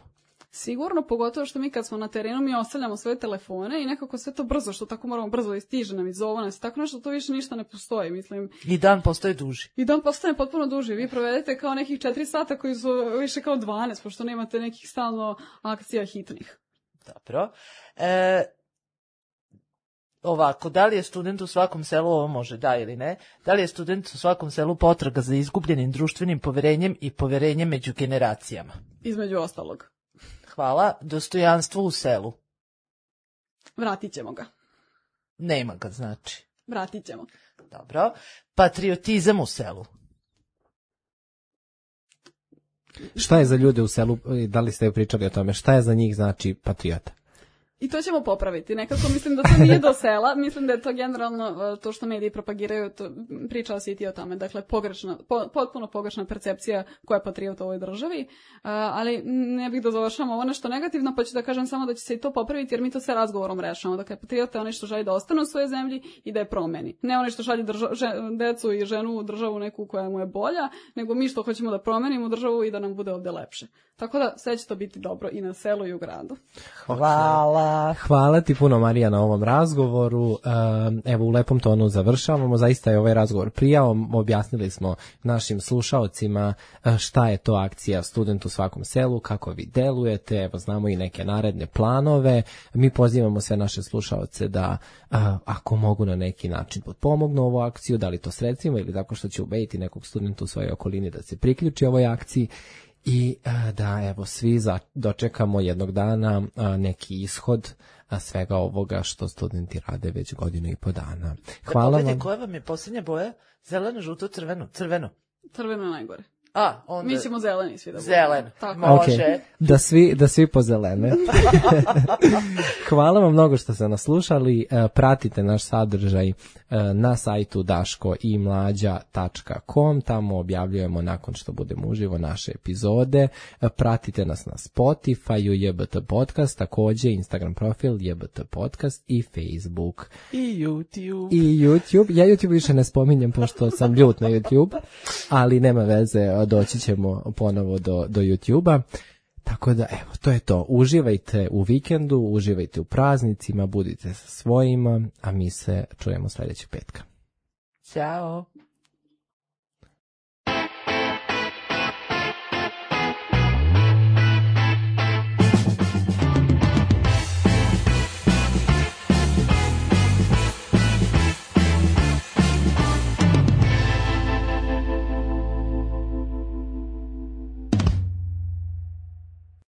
Sigurno, pogotovo što mi kad smo na terenu mi ostavljamo svoje telefone i nekako sve to brzo, što tako moramo brzo da stiže nam i zove nas, tako nešto to više ništa ne postoji, mislim.
I dan postaje duži.
I dan postane potpuno duži. Vi provedete kao nekih četiri sata koji su više kao dvanaest, pošto nemate nekih stalno akcija hitnih.
Dobro. E, ovako, da li je student u svakom selu, ovo može da ili ne, da li je student u svakom selu potraga za izgubljenim društvenim poverenjem i poverenjem među generacijama?
Između ostalog.
Hvala. Dostojanstvo u selu.
Vratit ćemo ga.
Nema ga, znači.
Vratit ćemo.
Dobro. Patriotizam u selu.
Šta je za ljude u selu, da li ste pričali o tome, šta je za njih znači patriota?
I to ćemo popraviti. Nekako mislim da to nije do sela, mislim da je to generalno to što mediji propagiraju, to, pričala si i ti o tome, dakle pogrešna, po, potpuno pogrešna percepcija koja je patriot u ovoj državi, uh, ali ne bih da završamo ovo nešto negativno, pa ću da kažem samo da će se i to popraviti jer mi to sve razgovorom rešamo. Dakle, patriot je onaj što želi da ostane u svojoj zemlji i da je promeni. Ne onaj što šalje drža, že, decu i ženu u državu neku koja mu je bolja, nego mi što hoćemo da promenimo državu i da nam bude ovde lepše. Tako da sve će to biti dobro i na selu i u gradu.
Hvala.
Hvala ti puno, Marija, na ovom razgovoru. Evo, u lepom tonu završavamo. Zaista je ovaj razgovor prijao. Objasnili smo našim slušaocima šta je to akcija Student u svakom selu, kako vi delujete. Evo, znamo i neke naredne planove. Mi pozivamo sve naše slušaoce da, ako mogu na neki način potpomognu ovu akciju, da li to sredstvima ili tako što će ubediti nekog studenta u svojoj okolini da se priključi ovoj akciji. I da, evo, svi za, dočekamo jednog dana a, neki ishod a, svega ovoga što studenti rade već godinu i po dana. Hvala
da,
vam.
Koja vam je posljednja boja? Zeleno, žuto, crveno? Crveno.
Crveno je najgore.
A, onda...
Mi ćemo zeleni svi da budemo.
Zelen,
tako.
može.
Okay. Da svi, da svi pozelene. Hvala vam mnogo što ste nas slušali. Pratite naš sadržaj na sajtu daško i mlađa tačka com. Tamo objavljujemo nakon što budemo uživo naše epizode. Pratite nas na Spotify, J B T Podcast, takođe Instagram profil J B T Podcast i Facebook.
I YouTube.
I YouTube. Ja YouTube više ne spominjem pošto sam ljut na YouTube, ali nema veze, doći ćemo ponovo do, do YouTube-a. Tako da, evo, to je to. Uživajte u vikendu, uživajte u praznicima, budite sa svojima, a mi se čujemo sljedećeg petka.
Ćao.